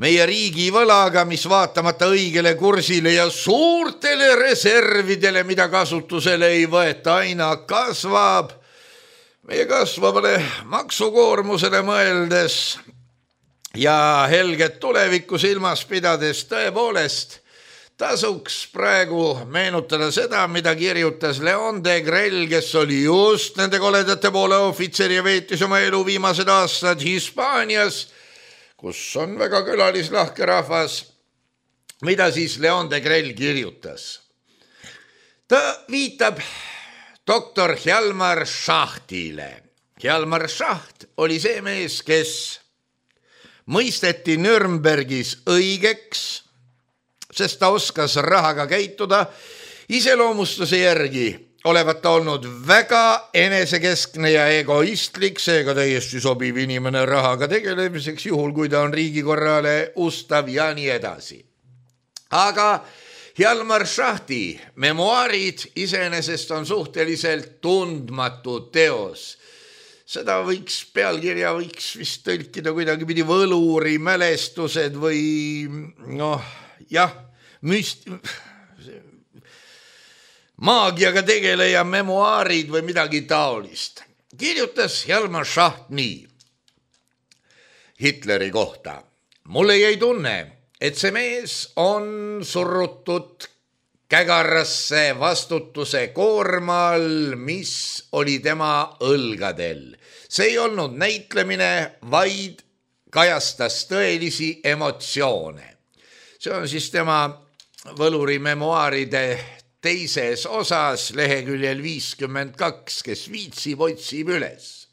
meie riigi võlaga, mis vaatamata õigele kursile ja suurtele reservidele, mida kasutusele ei võeta, aina kasvab, meie kasvavale maksukoormusele mõeldes ja helget tulevikku silmas pidades tõepoolest tasuks praegu meenutada seda, mida kirjutas Leon Degrell, kes oli just nende koledate poole ohvitser ja veetis oma elu viimased aastad Hispaanias, kus on väga külalislahke rahvas. Mida siis Leon Degrell kirjutas? Ta viitab doktor Hjalmar Schachtile. Hjalmar Schacht oli see mees, kes mõisteti Nürnbergis õigeks, sest ta oskas rahaga käituda, iseloomustuse järgi olevat ta olnud väga enesekeskne ja egoistlik, seega täiesti sobiv inimene rahaga tegelemiseks, juhul kui ta on riigikorrale ustav ja nii edasi. Aga Hjalmar Schachti memuaarid iseenesest on suhteliselt tundmatu teos. Seda võiks, pealkirja võiks vist tõlkida kuidagi pidi võluri mälestused või noh, jah, müst... maagiaga tegeleja memuaarid või midagi taolist. Kirjutas Hjalmar Schacht nii Hitleri kohta. Mulle jäi tunne, et see mees on surrutud kägarasse vastutuse koormal, mis oli tema õlgadel. See ei olnud näitlemine, vaid kajastas tõelisi emotsioone. See on siis tema võluri memuaaride teises osas leheküljel viiskümmend kaks, kes viitsib, otsib üles.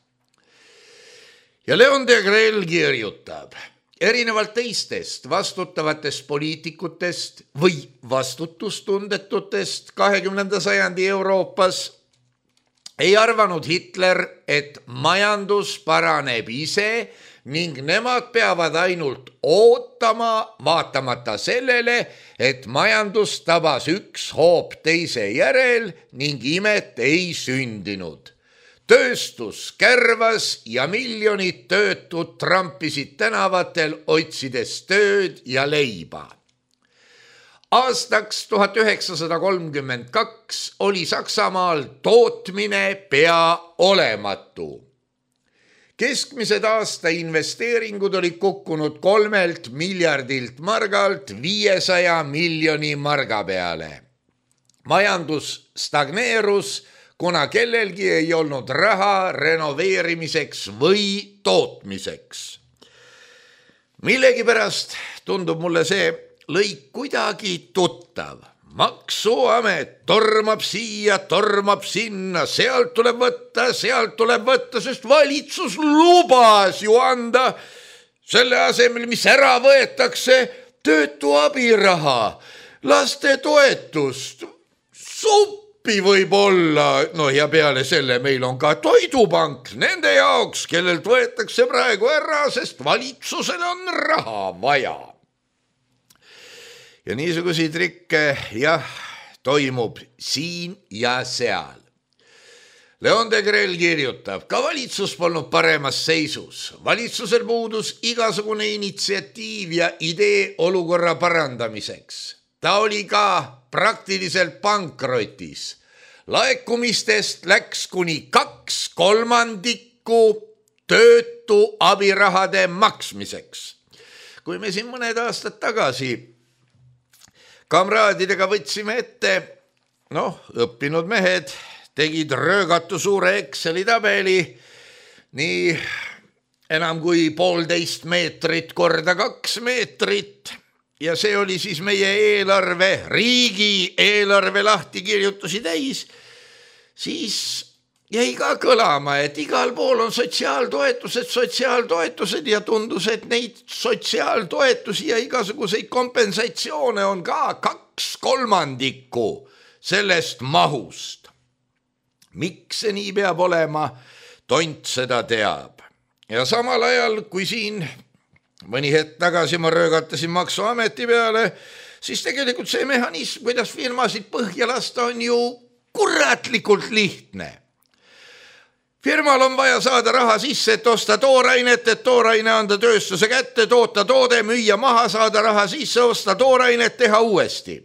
Ja Leon Degrell kirjutab, erinevalt teistest vastutavatest poliitikutest või vastutustundetutest kahekümnenda sajandi Euroopas ei arvanud Hitler, et majandus paraneb ise ning nemad peavad ainult ootama, vaatamata sellele, et majandus tabas üks hoop teise järel ning imet ei sündinud. Tööstus kärvas ja miljonid töötud trampisid tänavatel otsides tööd ja leiba. Aastaks tuhat üheksasada kolmkümmend kaks oli Saksamaal tootmine pea olematu. Keskmised aasta investeeringud olid kukkunud kolmelt miljardilt margalt viiesaja miljoni marga peale. Majandus stagneerus, kuna kellelgi ei olnud raha renoveerimiseks või tootmiseks. Millegipärast tundub mulle see lõik kuidagi tuttav. Maksuamet tormab siia, tormab sinna, sealt tuleb võtta, sealt tuleb võtta, sest valitsus lubas ju anda selle asemel, mis ära võetakse, töötu abiraha, laste toetust, suppi võib olla, no ja peale selle meil on ka toidupank nende jaoks, kellelt võetakse praegu ära, sest valitsusel on raha vaja. Ja niisuguseid trikke, jah, toimub siin ja seal. Leon Degrelle kirjutab, ka valitsus polnud paremas seisus. Valitsusel puudus igasugune initsiatiiv ja idee olukorra parandamiseks. Ta oli ka praktiliselt pankrotis. Laekumistest läks kuni kaks kolmandikku töötu abirahade maksmiseks. Kui me siin mõned aastad tagasi kamraadidega võtsime ette, noh, õppinud mehed tegid röögatu suure Exceli tabeli, nii enam kui poolteist meetrit korda kaks meetrit ja see oli siis meie eelarve, riigi eelarve lahtikirjutusi täis, siis jäi ka kõlama, et igal pool on sotsiaaltoetused, sotsiaaltoetused ja tundus, et neid sotsiaaltoetusi ja igasuguseid kompensatsioone on ka kaks kolmandikku sellest mahust. Miks see nii peab olema, tont seda teab. Ja samal ajal, kui siin mõni hetk tagasi ma röögatasin maksuameti peale, siis tegelikult see mehhanism, kuidas firmasid põhja lasta, on ju kuratlikult lihtne. Firmal on vaja saada raha sisse, et osta toorainet, et tooraine anda tööstuse kätte, toota toode, müüa maha, saada raha sisse, osta toorainet, teha uuesti.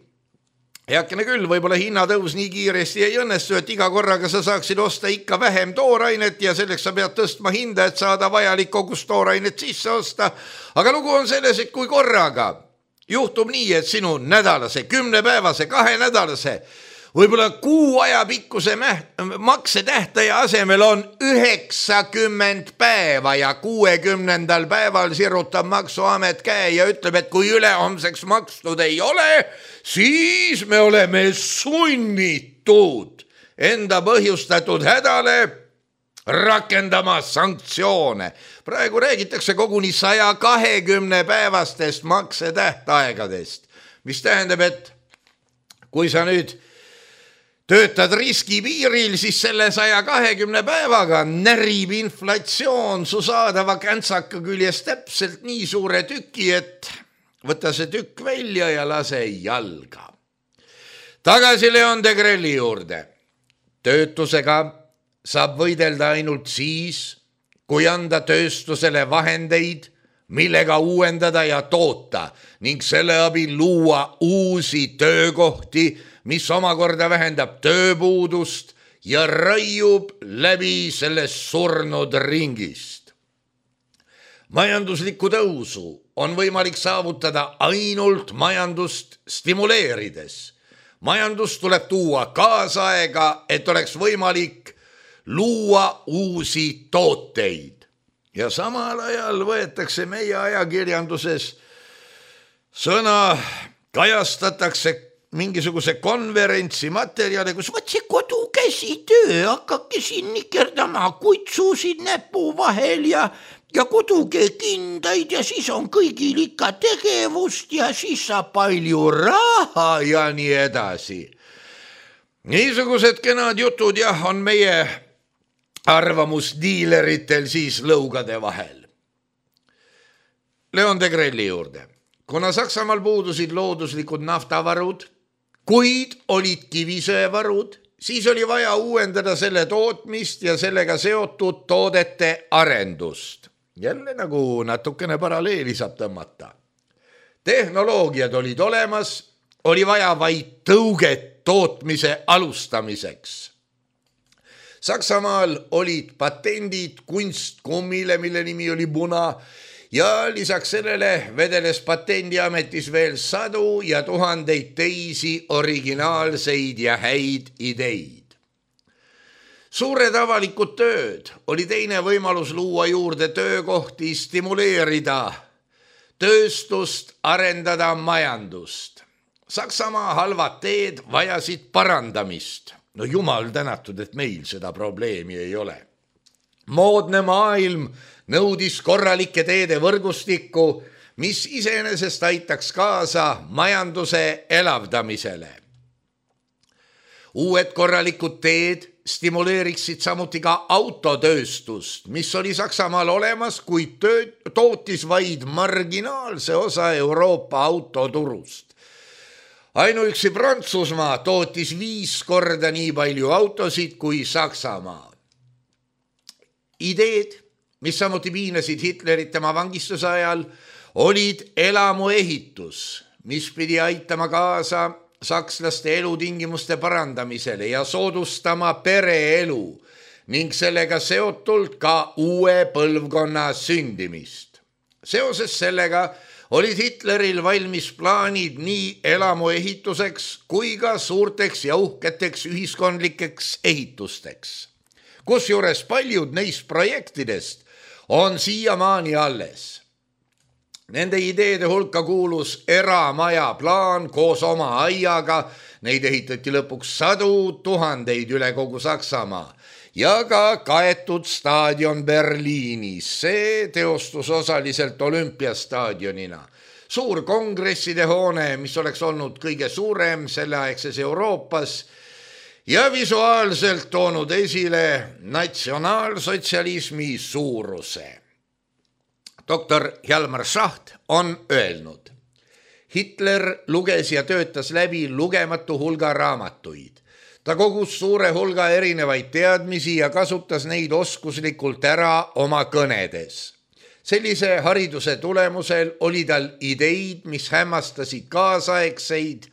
Heakene küll, võib-olla hinnatõus nii kiiresti ei õnnestu, et iga korraga sa saaksid osta ikka vähem toorainet ja selleks sa pead tõstma hinda, et saada vajalik kogus toorainet sisse osta. Aga lugu on selles, et kui korraga juhtub nii, et sinu nädalase, kümnepäevase, kahe nädalase võib-olla kuu aja pikkuse maksetähtaja asemel on üheksakümmend päeva ja kuuekümnendal päeval sirutab maksuamet käe ja ütleb, et kui ülehomseks makstud ei ole, siis me oleme sunnitud enda põhjustatud hädale rakendama sanktsioone. Praegu räägitakse koguni saja kahekümne päevastest maksetähtaegadest, mis tähendab, et kui sa nüüd töötad riskipiiril, siis selle saja kahekümne päevaga närib inflatsioon su saadava käntsaka küljes täpselt nii suure tüki, et võta see tükk välja ja lase jalga. Tagasi Leon Degrelle'i juurde. Töötusega saab võidelda ainult siis, kui anda tööstusele vahendeid, millega uuendada ja toota ning selle abil luua uusi töökohti, mis omakorda vähendab tööpuudust ja raiub läbi sellest surnud ringist. Majanduslikku tõusu on võimalik saavutada ainult majandust stimuleerides. Majandus tuleb tuua kaasaega, et oleks võimalik luua uusi tooteid. Ja samal ajal võetakse meie ajakirjanduses sõna, kajastatakse mingisuguse konverentsi materjali, kus võt see kodukäsitöö, hakake siin nikerdama kutsusid näpu vahel ja, ja koduke kindaid ja siis on kõigil ikka tegevust ja siis saab palju raha ja nii edasi. Niisugused kenad jutud jah, on meie arvamusdiileritel siis lõugade vahel. Leon de Grelli juurde. Kuna Saksamaal puudusid looduslikud naftavarud, kuid olid kivisöevarud, siis oli vaja uuendada selle tootmist ja sellega seotud toodete arendust. Jälle nagu natukene paralleeli saab tõmmata. Tehnoloogiad olid olemas, oli vaja vaid tõuget tootmise alustamiseks. Saksamaal olid patendid kunstkummile, mille nimi oli Buna, ja lisaks sellele vedeles patendiametis veel sadu ja tuhandeid teisi originaalseid ja häid ideid. Suured avalikud tööd oli teine võimalus luua juurde töökohti, stimuleerida tööstust, arendada majandust. Saksamaa halvad teed vajasid parandamist. No jumal tänatud, et meil seda probleemi ei ole. Moodne maailm nõudis korralike teede võrgustikku, mis iseenesest aitaks kaasa majanduse elavdamisele. Uued korralikud teed stimuleeriksid samuti ka autotööstust, mis oli Saksamaal olemas, kuid tootis vaid marginaalse osa Euroopa autoturust. Ainuüksi Prantsusmaa tootis viis korda nii palju autosid kui Saksamaa. Ideed, mis samuti piinasid Hitlerit tema vangistuse ajal, olid elamuehitus, mis pidi aitama kaasa sakslaste elutingimuste parandamisele ja soodustama pereelu ning sellega seotult ka uue põlvkonna sündimist. Seoses sellega olid Hitleril valmis plaanid nii elamuehituseks kui ka suurteks ja uhketeks ühiskondlikeks ehitusteks, kusjuures paljud neist projektidest on siiamaani alles. Nende ideede hulka kuulus eramaja plaan koos oma aiaga, neid ehitati lõpuks sadu tuhandeid üle kogu Saksamaa ja ka kaetud staadion Berliinis, see teostus osaliselt olümpiastaadionina. Suur kongresside hoone, mis oleks olnud kõige suurem selleaegses Euroopas ja visuaalselt toonud esile natsionaalsotsialismi suuruse. Doktor Hjalmar Schacht on öelnud, Hitler luges ja töötas läbi lugematu hulga raamatuid. Ta kogus suure hulga erinevaid teadmisi ja kasutas neid oskuslikult ära oma kõnedes. Sellise hariduse tulemusel oli tal ideid, mis hämmastasid kaasaegseid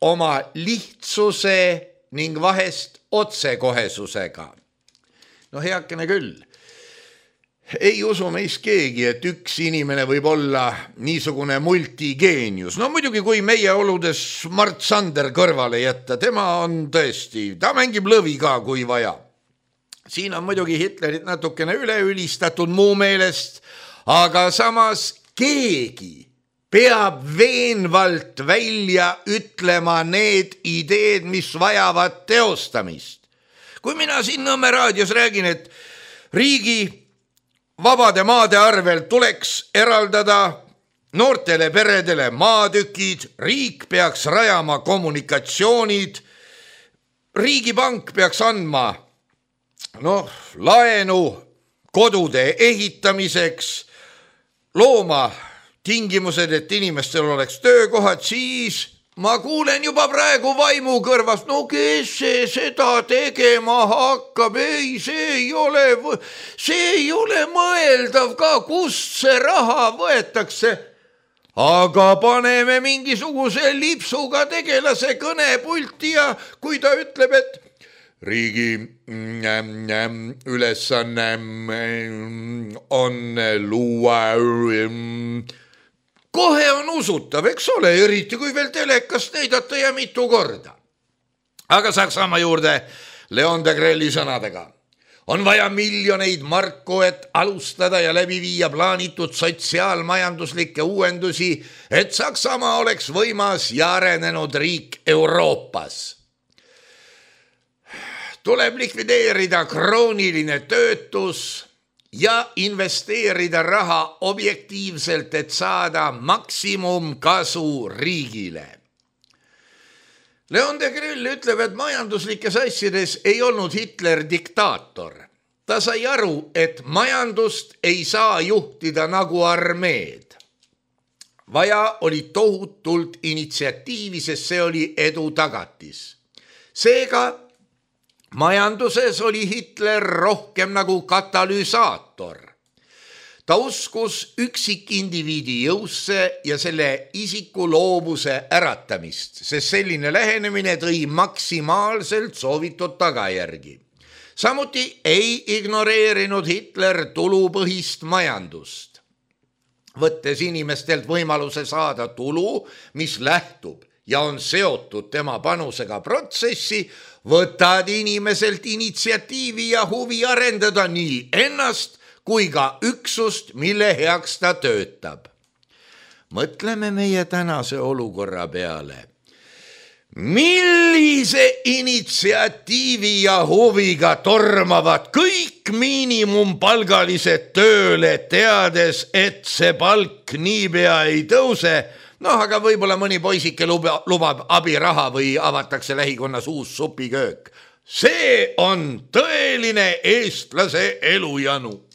oma lihtsuse ning vahest otsekohesusega. No heakene küll. Ei usu meist keegi, et üks inimene võib olla niisugune multigeenius. No muidugi, kui meie oludes Mart Sander kõrvale jätta, tema on tõesti, ta mängib lõvi ka, kui vaja. Siin on muidugi Hitlerit natukene üleülistatud muu meelest, aga samas keegi peab veenvalt välja ütlema need ideed, mis vajavad teostamist. Kui mina siin Nõmme raadios räägin, et riigi vabade maade arvel tuleks eraldada noortele peredele maatükid, riik peaks rajama kommunikatsioonid, riigipank peaks andma no, laenu kodude ehitamiseks, looma tingimused, et inimestel oleks töökohad, siis ma kuulen juba praegu vaimu kõrvast, no kes see seda tegema hakkab, ei, see ei ole, see ei ole mõeldav ka, kust see raha võetakse. Aga paneme mingisuguse lipsuga tegelase kõnepulti ja kui ta ütleb, et riigi ülesanne on luua kohe on usutav, eks ole, eriti kui veel telekast näidata ja mitu korda. Aga Saksamaa juurde Leon de Grelli sõnadega. On vaja miljoneid marku, et alustada ja läbi viia plaanitud sotsiaalmajanduslikke uuendusi, et Saksamaa oleks võimas ja arenenud riik Euroopas. Tuleb likvideerida krooniline töötus ja investeerida raha objektiivselt, et saada maksimumkasu riigile. Leon de Grell ütleb, et majanduslikes asjades ei olnud Hitler diktaator. ta sai aru, et majandust ei saa juhtida nagu armeed. Vaja oli tohutult initsiatiivi, sest see oli edu tagatis. Seega majanduses oli Hitler rohkem nagu katalüsaator. Ta uskus üksikindiviidi jõusse ja selle isiku loovuse äratamist, sest selline lähenemine tõi maksimaalselt soovitud tagajärgi. Samuti ei ignoreerinud Hitler tulupõhist majandust, võttes inimestelt võimaluse saada tulu, mis lähtub ja on seotud tema panusega protsessi, võtad inimeselt initsiatiivi ja huvi arendada nii ennast kui ka üksust, mille heaks ta töötab. Mõtleme meie tänase olukorra peale. Millise initsiatiivi ja huviga tormavad kõik miinimumpalgalised tööle, teades, et see palk niipea ei tõuse. Noh, aga võib-olla mõni poisike lubab abiraha või avatakse lähikonnas uus supiköök. See on tõeline eestlase elujanu.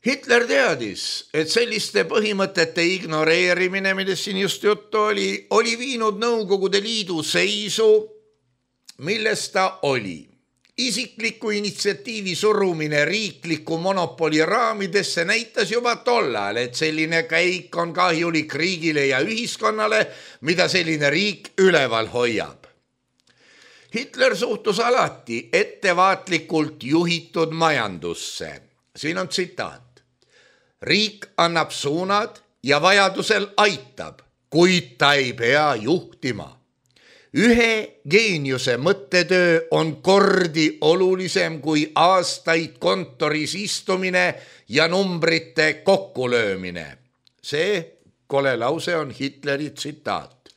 Hitler teadis, et selliste põhimõtete ignoreerimine, millest siin just juttu oli, oli viinud Nõukogude Liidu seisu, milles ta oli. Isikliku initsiatiivi surumine riikliku monopoli raamidesse näitas juba tollal, et selline käik on kahjulik riigile ja ühiskonnale, mida selline riik üleval hoiab. Hitler suhtus alati ettevaatlikult juhitud majandusse. Siin on tsitaat. Riik annab suunad ja vajadusel aitab, kuid ta ei pea juhtima. Ühe geeniuse mõttetöö on kordi olulisem kui aastaid kontoris istumine ja numbrite kokkulöömine. See kole lause on Hitleri tsitaat.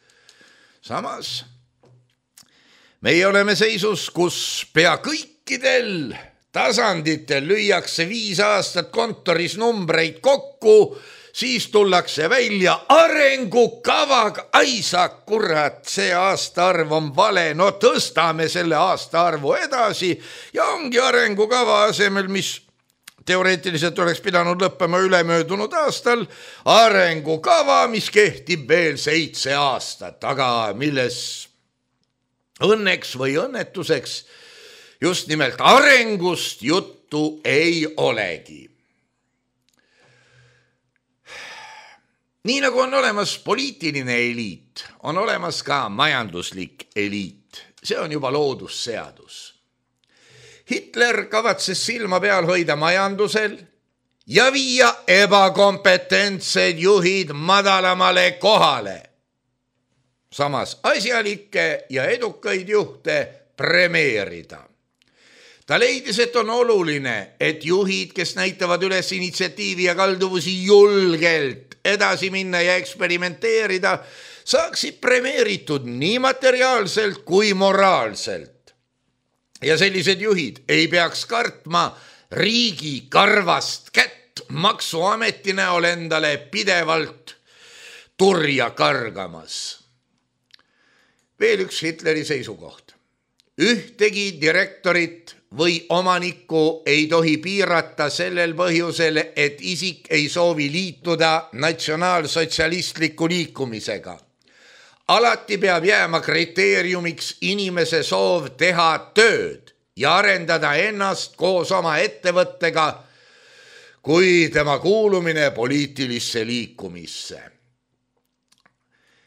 Samas, meie oleme seisus, kus pea kõikidel tasanditel lüüakse viis aastat kontoris numbreid kokku, siis tullakse välja arengukavaga. Ai sa kurat, see aastaarv on vale, no tõstame selle aastaarvu edasi ja ongi arengukava asemel, mis teoreetiliselt oleks pidanud lõppema ülemöödunud aastal, arengukava, mis kehtib veel seitse aastat, aga milles õnneks või õnnetuseks just nimelt arengust juttu ei olegi. Nii nagu on olemas poliitiline eliit, on olemas ka majanduslik eliit. See on juba loodusseadus. Hitler kavatses silma peal hoida majandusel ja viia ebakompetentsed juhid madalamale kohale. Samas asjalikke ja edukaid juhte premeerida. Ta leidis, et on oluline, et juhid, kes näitavad üles initsiatiivi ja kalduvusi julgelt edasi minna ja eksperimenteerida, saaksid premeeritud nii materiaalselt kui moraalselt. Ja sellised juhid ei peaks kartma riigi karvast kätt maksuameti näol endale pidevalt turja kargamas. Veel üks Hitleri seisukoht. Ühtegi direktorit või omanikku ei tohi piirata sellel põhjusel, et isik ei soovi liituda natsionaalsotsialistliku liikumisega. Alati peab jääma kriteeriumiks inimese soov teha tööd ja arendada ennast koos oma ettevõttega kui tema kuulumine poliitilisse liikumisse.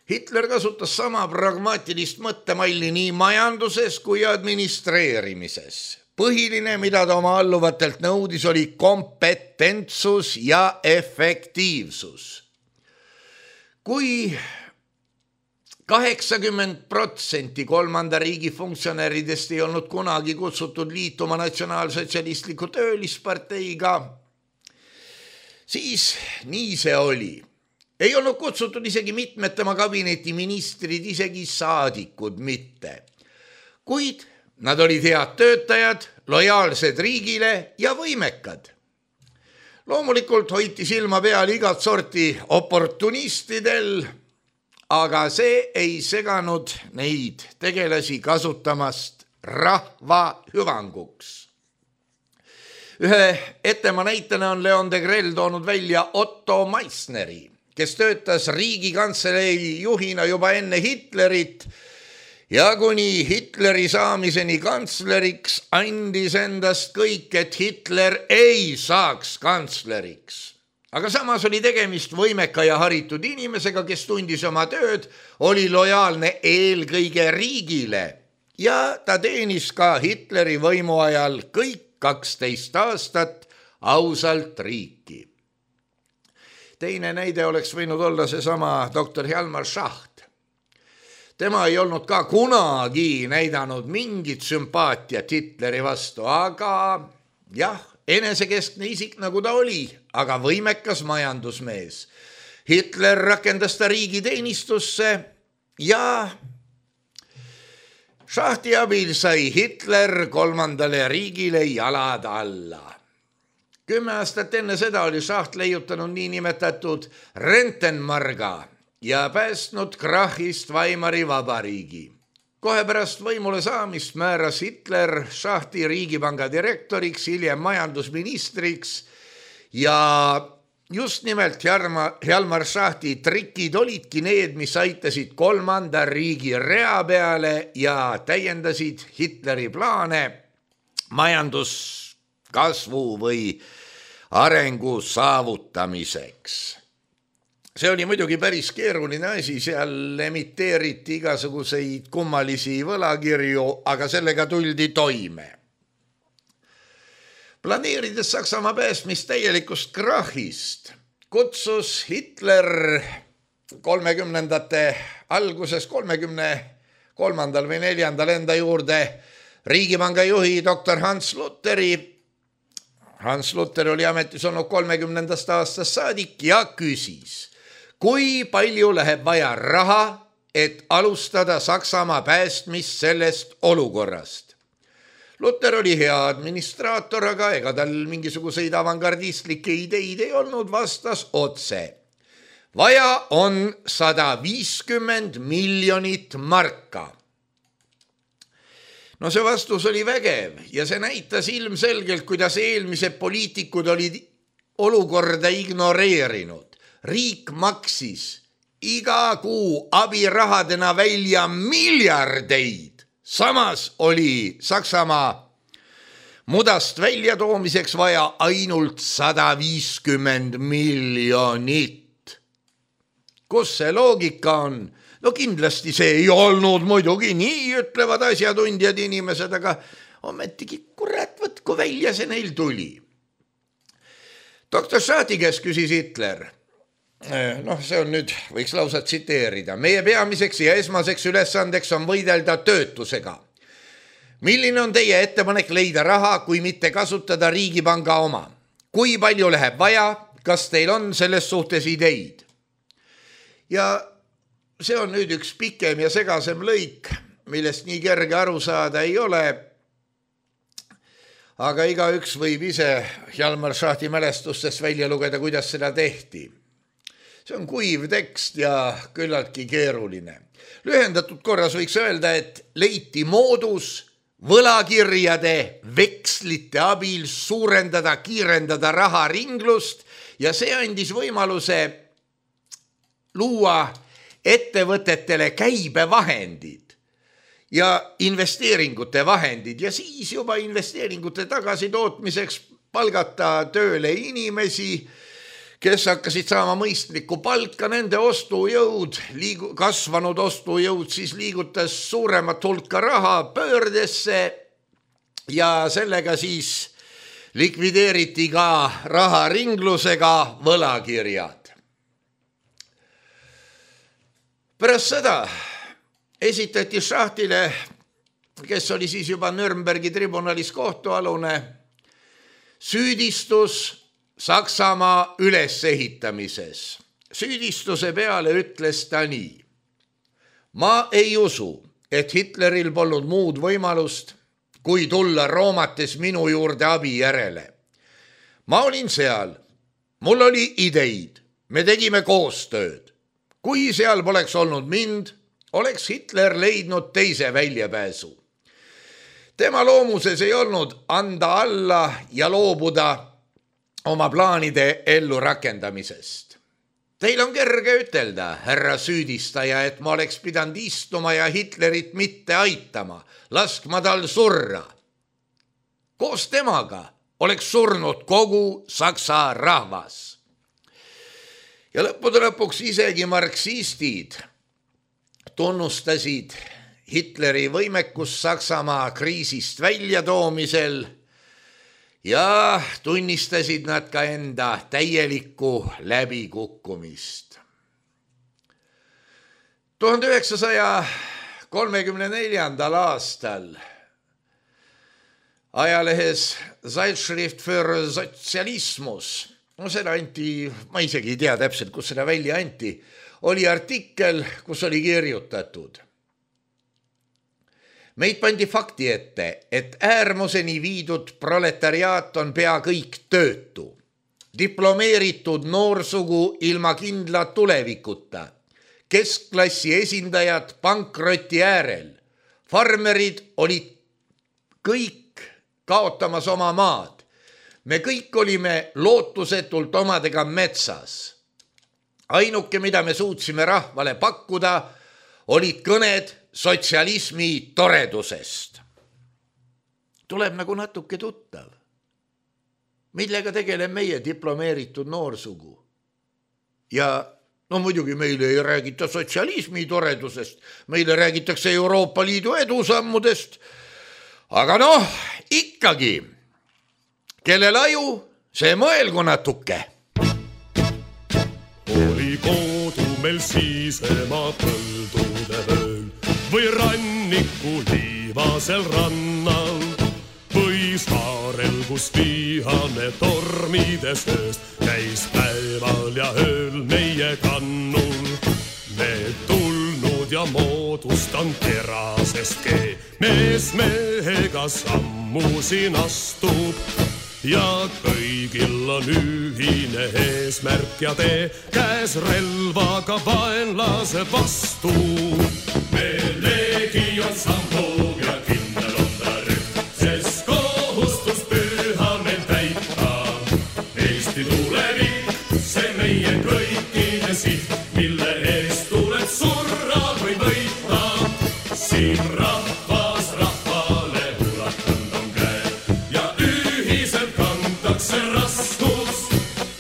Hitler kasutas sama pragmaatilist mõttemalli nii majanduses kui administreerimises. Põhiline, mida ta oma alluvatelt nõudis, oli kompetentsus ja efektiivsus. Kui kaheksakümmend protsenti kolmanda riigi funktsionäridest ei olnud kunagi kutsutud liituma natsionaalsotsialistliku töölisparteiga, siis nii see oli. Ei olnud kutsutud isegi mitmed tema kabineti ministrid, isegi saadikud mitte. Kuid nad olid head töötajad, lojaalsed riigile ja võimekad. Loomulikult hoiti silma peal igat sorti oportunistidel, aga see ei seganud neid tegelasi kasutamast rahva hüvanguks. Ühe ettema näitena on Leon Degrelle toonud välja Otto Meissneri, kes töötas Riigikantselei juhina juba enne Hitlerit ja kuni Hitleri saamiseni kantsleriks andis endast kõik, et Hitler ei saaks kantsleriks. Aga samas oli tegemist võimeka ja haritud inimesega, kes tundis oma tööd, oli lojaalne eelkõige riigile ja ta teenis ka Hitleri võimu ajal kõik kaksteist aastat ausalt riiki. Teine näide oleks võinud olla seesama doktor Hjalmar Schacht. Tema ei olnud ka kunagi näidanud mingit sümpaatiat Hitleri vastu, aga jah, enesekeskne isik nagu ta oli, aga võimekas majandusmees. Hitler rakendas ta riigiteenistusse ja Schachti abil sai Hitler kolmandale riigile jalad alla. Kümme aastat enne seda oli Schacht leiutanud niinimetatud Rentenmarga ja päästnud krahhist Weimari vabariigi. Kohe pärast võimule saamist määras Hitler Schachti riigipanga direktoriks, hiljem majandusministriks ja just nimelt Hjalmar Schachti trikid olidki need, mis aitasid kolmanda riigi rea peale ja täiendasid Hitleri plaane majanduskasvu või arengu saavutamiseks. See oli muidugi päris keeruline asi, seal emiteeriti igasuguseid kummalisi võlakirju, aga sellega tuldi toime. Planeerides Saksamaa päästmist täielikust krahhist, kutsus Hitler kolmekümnendate alguses kolmekümne kolmandal või neljandal enda juurde riigipanga juhi doktor Hans Lutheri. Hans Luther oli ametis olnud kolmekümnendast aastast saadik ja küsis, kui palju läheb vaja raha, et alustada Saksamaa päästmist sellest olukorrast. Luther oli hea administraator, aga ega tal mingisuguseid avangardistlikke ideid ei olnud, vastas otse. Vaja on sada viiskümmend miljonit marka. No see vastus oli vägev ja see näitas ilmselgelt, kuidas eelmised poliitikud olid olukorda ignoreerinud. Riik maksis iga kuu abirahadena välja miljardeid. Samas oli Saksamaa mudast väljatoomiseks vaja ainult sada viiskümmend miljonit. Kus see loogika on? No kindlasti see ei olnud muidugi nii, ütlevad asjatundjad inimesed, aga ometigi kurat, võtku välja see neil tuli. doktor Schachti käest küsis Hitler. Noh, see on nüüd, võiks lausa tsiteerida. Meie peamiseks ja esmaseks ülesandeks on võidelda töötusega. Milline on teie ettepanek leida raha, kui mitte kasutada riigipanga oma? Kui palju läheb vaja? Kas teil on selles suhtes ideid? Ja see on nüüd üks pikem ja segasem lõik, millest nii kerge aru saada ei ole. Aga igaüks võib ise Hjalmar Schachti mälestustest välja lugeda, kuidas seda tehti. See on kuiv tekst ja küllaltki keeruline. Lühendatud korras võiks öelda, et leiti moodus võlakirjade vekslite abil suurendada, kiirendada raharinglust ja see andis võimaluse luua ettevõtetele käibevahendid ja investeeringute vahendid ja siis juba investeeringute tagasitootmiseks palgata tööle inimesi, kes hakkasid saama mõistlikku palka, nende ostujõud, liigu, kasvanud ostujõud siis liigutas suuremat hulka raha pöördesse ja sellega siis likvideeriti ka raharinglusega võlakirjad. Pärast seda esitati Schachtile, kes oli siis juba Nürnbergi tribunalis kohtualune, süüdistus Saksamaa ülesehitamises. Süüdistuse peale ütles ta nii. Ma ei usu, et Hitleril polnud muud võimalust, kui tulla Roomates minu juurde abi järele. Ma olin seal, mul oli ideid, me tegime koostööd. Kui seal poleks olnud mind, oleks Hitler leidnud teise väljapääsu. Tema loomuses ei olnud anda alla ja loobuda oma plaanide ellu rakendamisest. Teil on kerge ütelda, härra süüdistaja, et ma oleks pidanud istuma ja Hitlerit mitte aitama, laskma tal surra. Koos temaga oleks surnud kogu Saksa rahvas. Ja lõppude lõpuks isegi marksistid tunnustasid Hitleri võimekus Saksamaa kriisist välja toomisel ja tunnistasid nad ka enda täielikku läbikukkumist. tuhande üheksasaja kolmekümne neljandal aastal ajalehes Zeitschrift für Sozialismus, no seda anti, ma isegi ei tea täpselt, kus seda välja anti, oli artikkel, kus oli kirjutatud. Meid pandi fakti ette, et äärmuseni viidud proletariaat on pea kõik töötu, diplomeeritud noorsugu ilma kindla tulevikuta, keskklassi esindajad pankroti äärel, farmerid olid kõik kaotamas oma maad. Me kõik olime lootusetult omadega metsas. Ainuke, mida me suutsime rahvale pakkuda, olid kõned sotsialismi toredusest. Tuleb nagu natuke tuttav. Millega tegeleb meie diplomeeritud noorsugu? Ja no muidugi meile ei räägita sotsialismi toredusest, meile räägitakse Euroopa Liidu edusammudest, aga noh, ikkagi, kellel aju, see mõelgu natuke. Oli kodu meil siisemaa põldude vööl või ranniku liivasel rannal või saarel, kus vihane tormides ööst käis päeval ja ööl meie kannul. Need tulnud ja moodustan terasest kee, mees mehega sammu siin astub ja kõigil on ühine eesmärk ja tee, käes relvaga vaenlase vastu. Meil legion sammub ja kindel on ta rüht, sest kohustus püha meil täita. Eesti tulevik, see meie kõikide siht, mille eest tuleb surra või võita. Siin rahvas rahvale ulatanud on käe ja ühiselt kantakse raskus.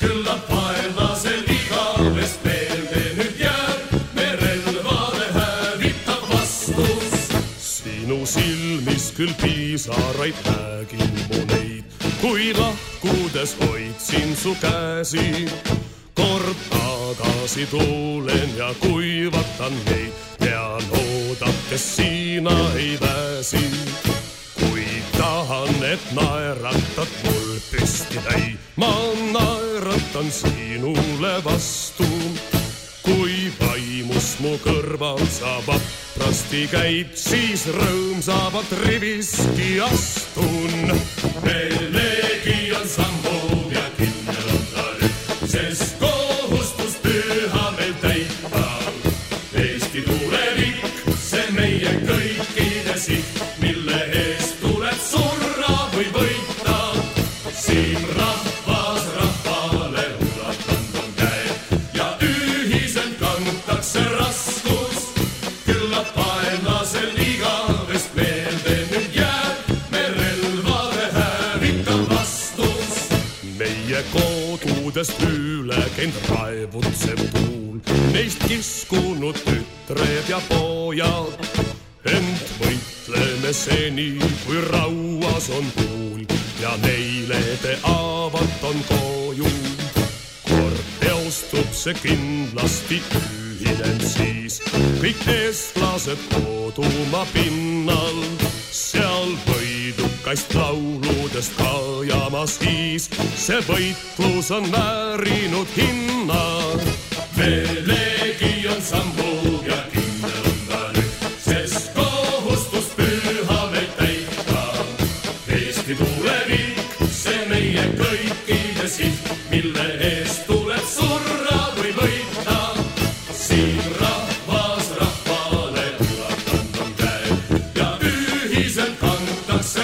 Küllap vaenlasel igavest meelde nüüd jääb, me relvade hävitab vastus. Sinu silmis küll piisaraid nägin mu neid, kui lahkudes hoidsin su käsi. Kord tagasi tulen ja kuivatan neid, tean oodates sina ei väsi. Kui tahan, et naeratad mul püsti täi, ma naeratan sinule vastu. Kui vaimus mu kõrval sa vaprasti käid, siis rõõmsavalt riviski astun. Meil legion sammub ja kindel on ta rüht, sest kohustus püha meil täita. Eesti tulevik, see meie kõikide siht, mille eest tuleb surra või võita. Siin rahvas rahvale ulatanud on käe ja ühiselt kantakse raskus. Küllap vaenlasel igavest meelde nüüd jääb, me relvade hävitab vastus. Meie kodudest üle käinud raevutsev tuul, neist kiskunud tütred ja pojad. Ent võitleme seni, kui rauas on tuul ja neile te avat on koju. Kord teostub see kindlasti ühinen siis kõik eestlased kodumaa pinnal. Seal võidukast lauludest kajama siis, see võitlus on väärinud hinna. Me legion sammub ja kindel on ta nüüd, sest kohustus püha meil täita. Eesti tulevik, see meie kõikide siht, mille eest tuleb surra või võita. Siin rahvas rahvale ulatanud on käe ja ühiselt kantakse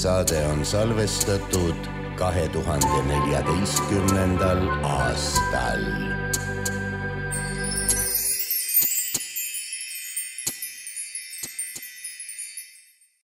saade on salvestatud kahe tuhande neljateistkümnendal aastal.